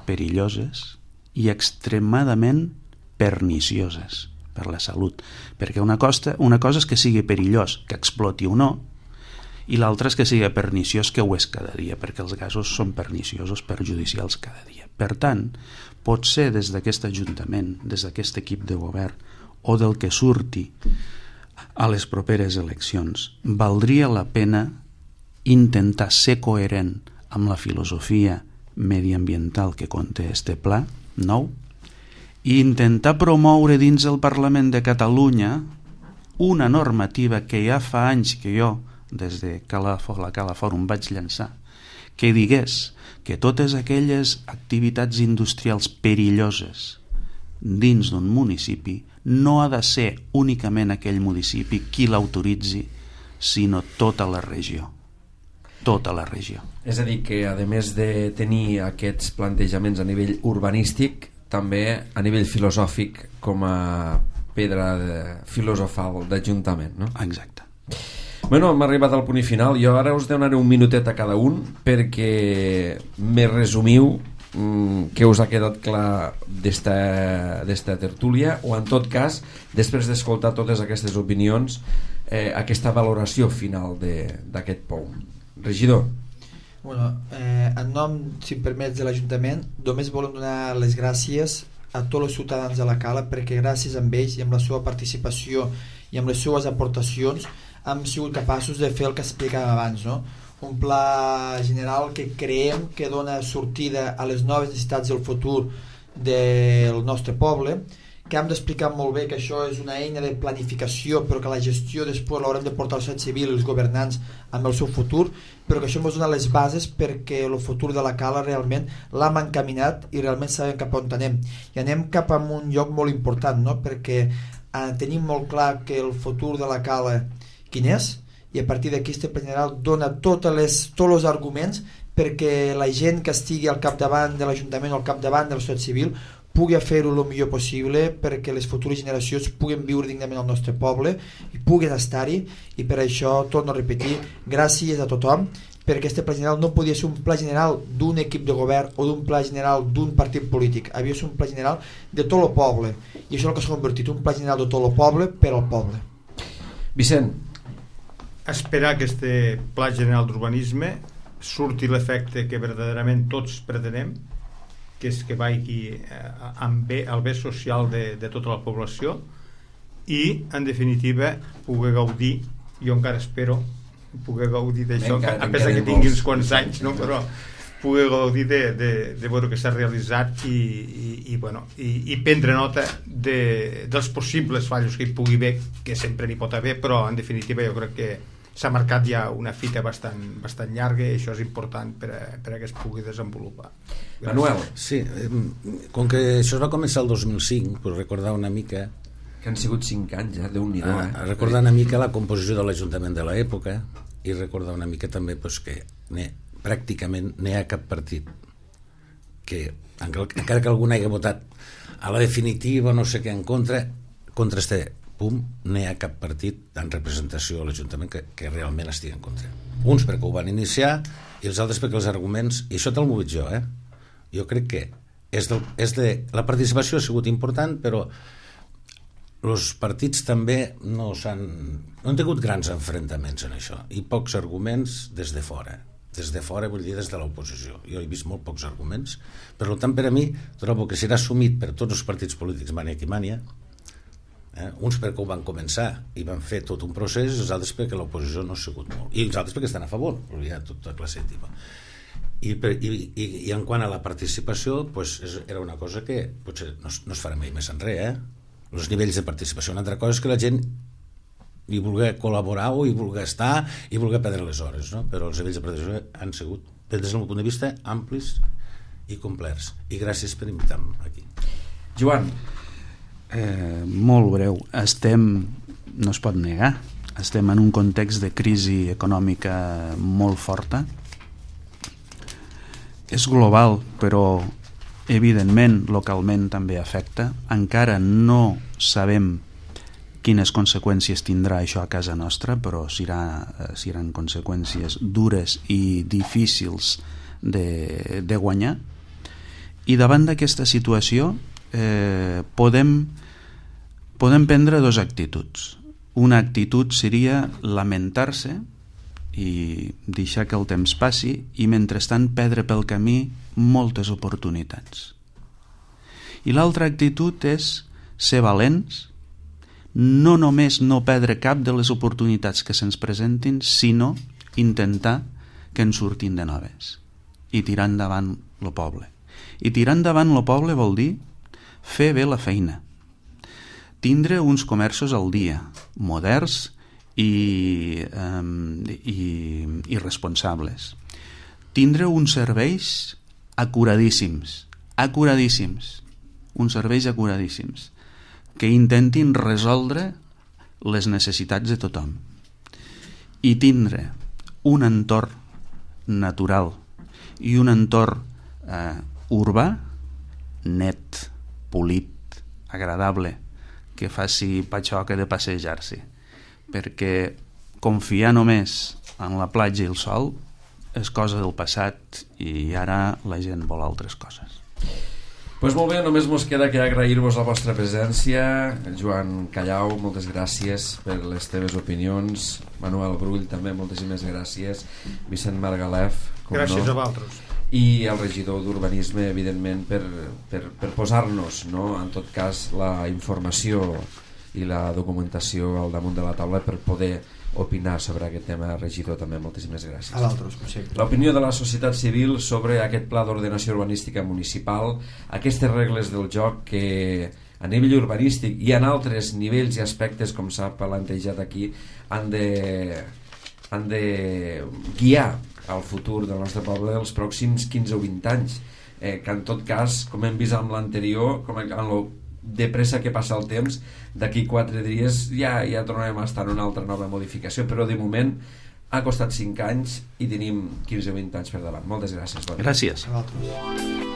perilloses i extremadament pernicioses per la salut, perquè una cosa és que sigui perillós, que exploti o no, i l'altre és que sigui perniciós, que ho és cada dia, perquè els gasos són perniciosos, perjudicials cada dia. Per tant, potser des d'aquest Ajuntament, des d'aquest equip de govern o del que surti a les properes eleccions, valdria la pena intentar ser coherent amb la filosofia mediambiental que conté este pla nou i intentar promoure dins el Parlament de Catalunya una normativa que ja fa anys que jo, des de la Cala Fòrum, vaig llançar, que digués que totes aquelles activitats industrials perilloses dins d'un municipi no ha de ser únicament aquell municipi qui l'autoritzi, sinó tota la regió. Tota la regió. És a dir, que a més de tenir aquests plantejaments a nivell urbanístic, també a nivell filosòfic com a pedra filosofal d'Ajuntament, no? Exacte. Bueno, hem arribat al punt i final. Jo ara us donaré un minutet a cada un perquè me resumiu què us ha quedat clar d'esta tertúlia, o en tot cas, després d'escoltar totes aquestes opinions, aquesta valoració final d'aquest POUM. Regidor. Bueno, en nom, si em permets, de l'Ajuntament, només volem donar les gràcies a tots els ciutadans de la Cala, perquè gràcies a ells i amb la seva participació i amb les seves aportacions hem sigut capaços de fer el que explicàvem abans, no? Un pla general que creiem que dona sortida a les noves necessitats del futur del nostre poble, que hem d'explicar molt bé que això és una eina de planificació, però que la gestió després l'haurem de portar al societat civil i els governants amb el seu futur, però que això ens dona les bases perquè el futur de la Cala realment l'hem encaminat i realment sabem cap on anem. I anem cap a un lloc molt important, no? Perquè tenim molt clar que el futur de la Cala quin és, i a partir d'aquí este pla general dona tots els arguments perquè la gent que estigui al capdavant de l'Ajuntament o al capdavant de la societat civil pugui fer-ho el millor possible perquè les futures generacions puguen viure dignament al nostre poble i puguen estar-hi, i per això, torno a repetir, gràcies a tothom, perquè este pla general no podia ser un pla general d'un equip de govern o d'un pla general d'un partit polític, havia de ser un pla general de tot el poble, i això és el que s'ha convertit, un pla general de tot el poble per al poble. Vicent. Esperar que este pla general d'urbanisme surti l'efecte que verdaderament tots pretenem, que és que vagi amb el bé social de tota la població i, en definitiva, poder gaudir, jo encara espero poder gaudir d'això, a pesar que tingui uns quants anys, no? Però poder gaudir de veure que s'ha realitzat i prendre nota dels possibles fallos que hi pugui haver, que sempre n'hi pot haver, però en definitiva jo crec que s'ha marcat ja una fita bastant llarga i això és important per a que es pugui desenvolupar. Manuel. Sí, com que això es va començar el 2005, per recordar una mica que han sigut 5 anys ja, Déu-n'hi-do, recordar una mica la composició de l'Ajuntament de l'època i recordar una mica també que pràcticament no hi ha cap partit que, encara que algú hagi votat a la definitiva no sé què en contra este PUM, no hi ha cap partit en representació a l'Ajuntament que realment estigui en contra. Uns perquè ho van iniciar i els altres perquè els arguments, i això te'l m'ho dic jo, jo crec que la participació ha sigut important, però els partits també no han tingut grans enfrontaments en això, i pocs arguments des de fora. Des de fora vull dir des de l'oposició. Jo he vist molt pocs arguments, per tant per a mi trobo que serà assumit per tots els partits polítics mania qui mania, uns perquè ho van començar i van fer tot un procés, i els altres perquè l'oposició no ha sigut molt, i els altres perquè estan a favor, però hi ha tota classe de tipus. I en quant a la participació, era una cosa que potser no es farà mai més enrere, els nivells de participació. Una altra cosa és que la gent hi vulgui col·laborar o hi vulgui estar i vulgui perdre les hores, no? Però els nivells de participació han sigut, des del meu punt de vista, amplis i complets, i gràcies per invitar-me aquí. Joan. Molt breu. No es pot negar, estem en un context de crisi econòmica molt forta, és global, però evidentment localment també afecta. Encara no sabem quines conseqüències tindrà això a casa nostra, però seran conseqüències dures i difícils de guanyar, i davant d'aquesta situació podem prendre dues actituds. Una actitud seria lamentar-se i deixar que el temps passi i mentrestant perdre pel camí moltes oportunitats. I l'altra actitud és ser valents, no només no perdre cap de les oportunitats que se'ns presentin, sinó intentar que en surtin de noves i tirar endavant el poble. I tirar endavant el poble vol dir fer bé la feina, tindre uns comerços al dia, moderns i responsables, tindre uns serveis acuradíssims, uns serveis acuradíssims que intentin resoldre les necessitats de tothom i tindre un entorn natural i un entorn urbà net, polit, agradable, que faci patxoca de passejar-s'hi, perquè confiar només en la platja i el sol és cosa del passat i ara la gent vol altres coses. Pues molt bé, només mos queda que agrair-vos la vostra presència. Joan Callau, moltes gràcies per les teves opinions. Manuel Brull, també moltíssimes gràcies. Vicent Margalef, gràcies a vosaltres. I el regidor d'Urbanisme, evidentment, per posar-nos, no, en tot cas, la informació i la documentació al damunt de la taula per poder opinar sobre aquest tema. Regidor, també moltíssimes gràcies. A l'altre, com sempre. L'opinió de la societat civil sobre aquest pla d'ordenació urbanística municipal, aquestes regles del joc que a nivell urbanístic i en altres nivells i aspectes, com s'ha plantejat aquí, han de guiar el futur del nostre poble dels pròxims 15 o 20 anys, que en tot cas, com hem vist amb l'anterior, com en lo de pressa que passa el temps, d'aquí 4 dies ja tornarem a estar en una altra nova modificació, però de moment ha costat 5 anys i tenim 15 o 20 anys per davant. Moltes gràcies. Gràcies. A l'altre.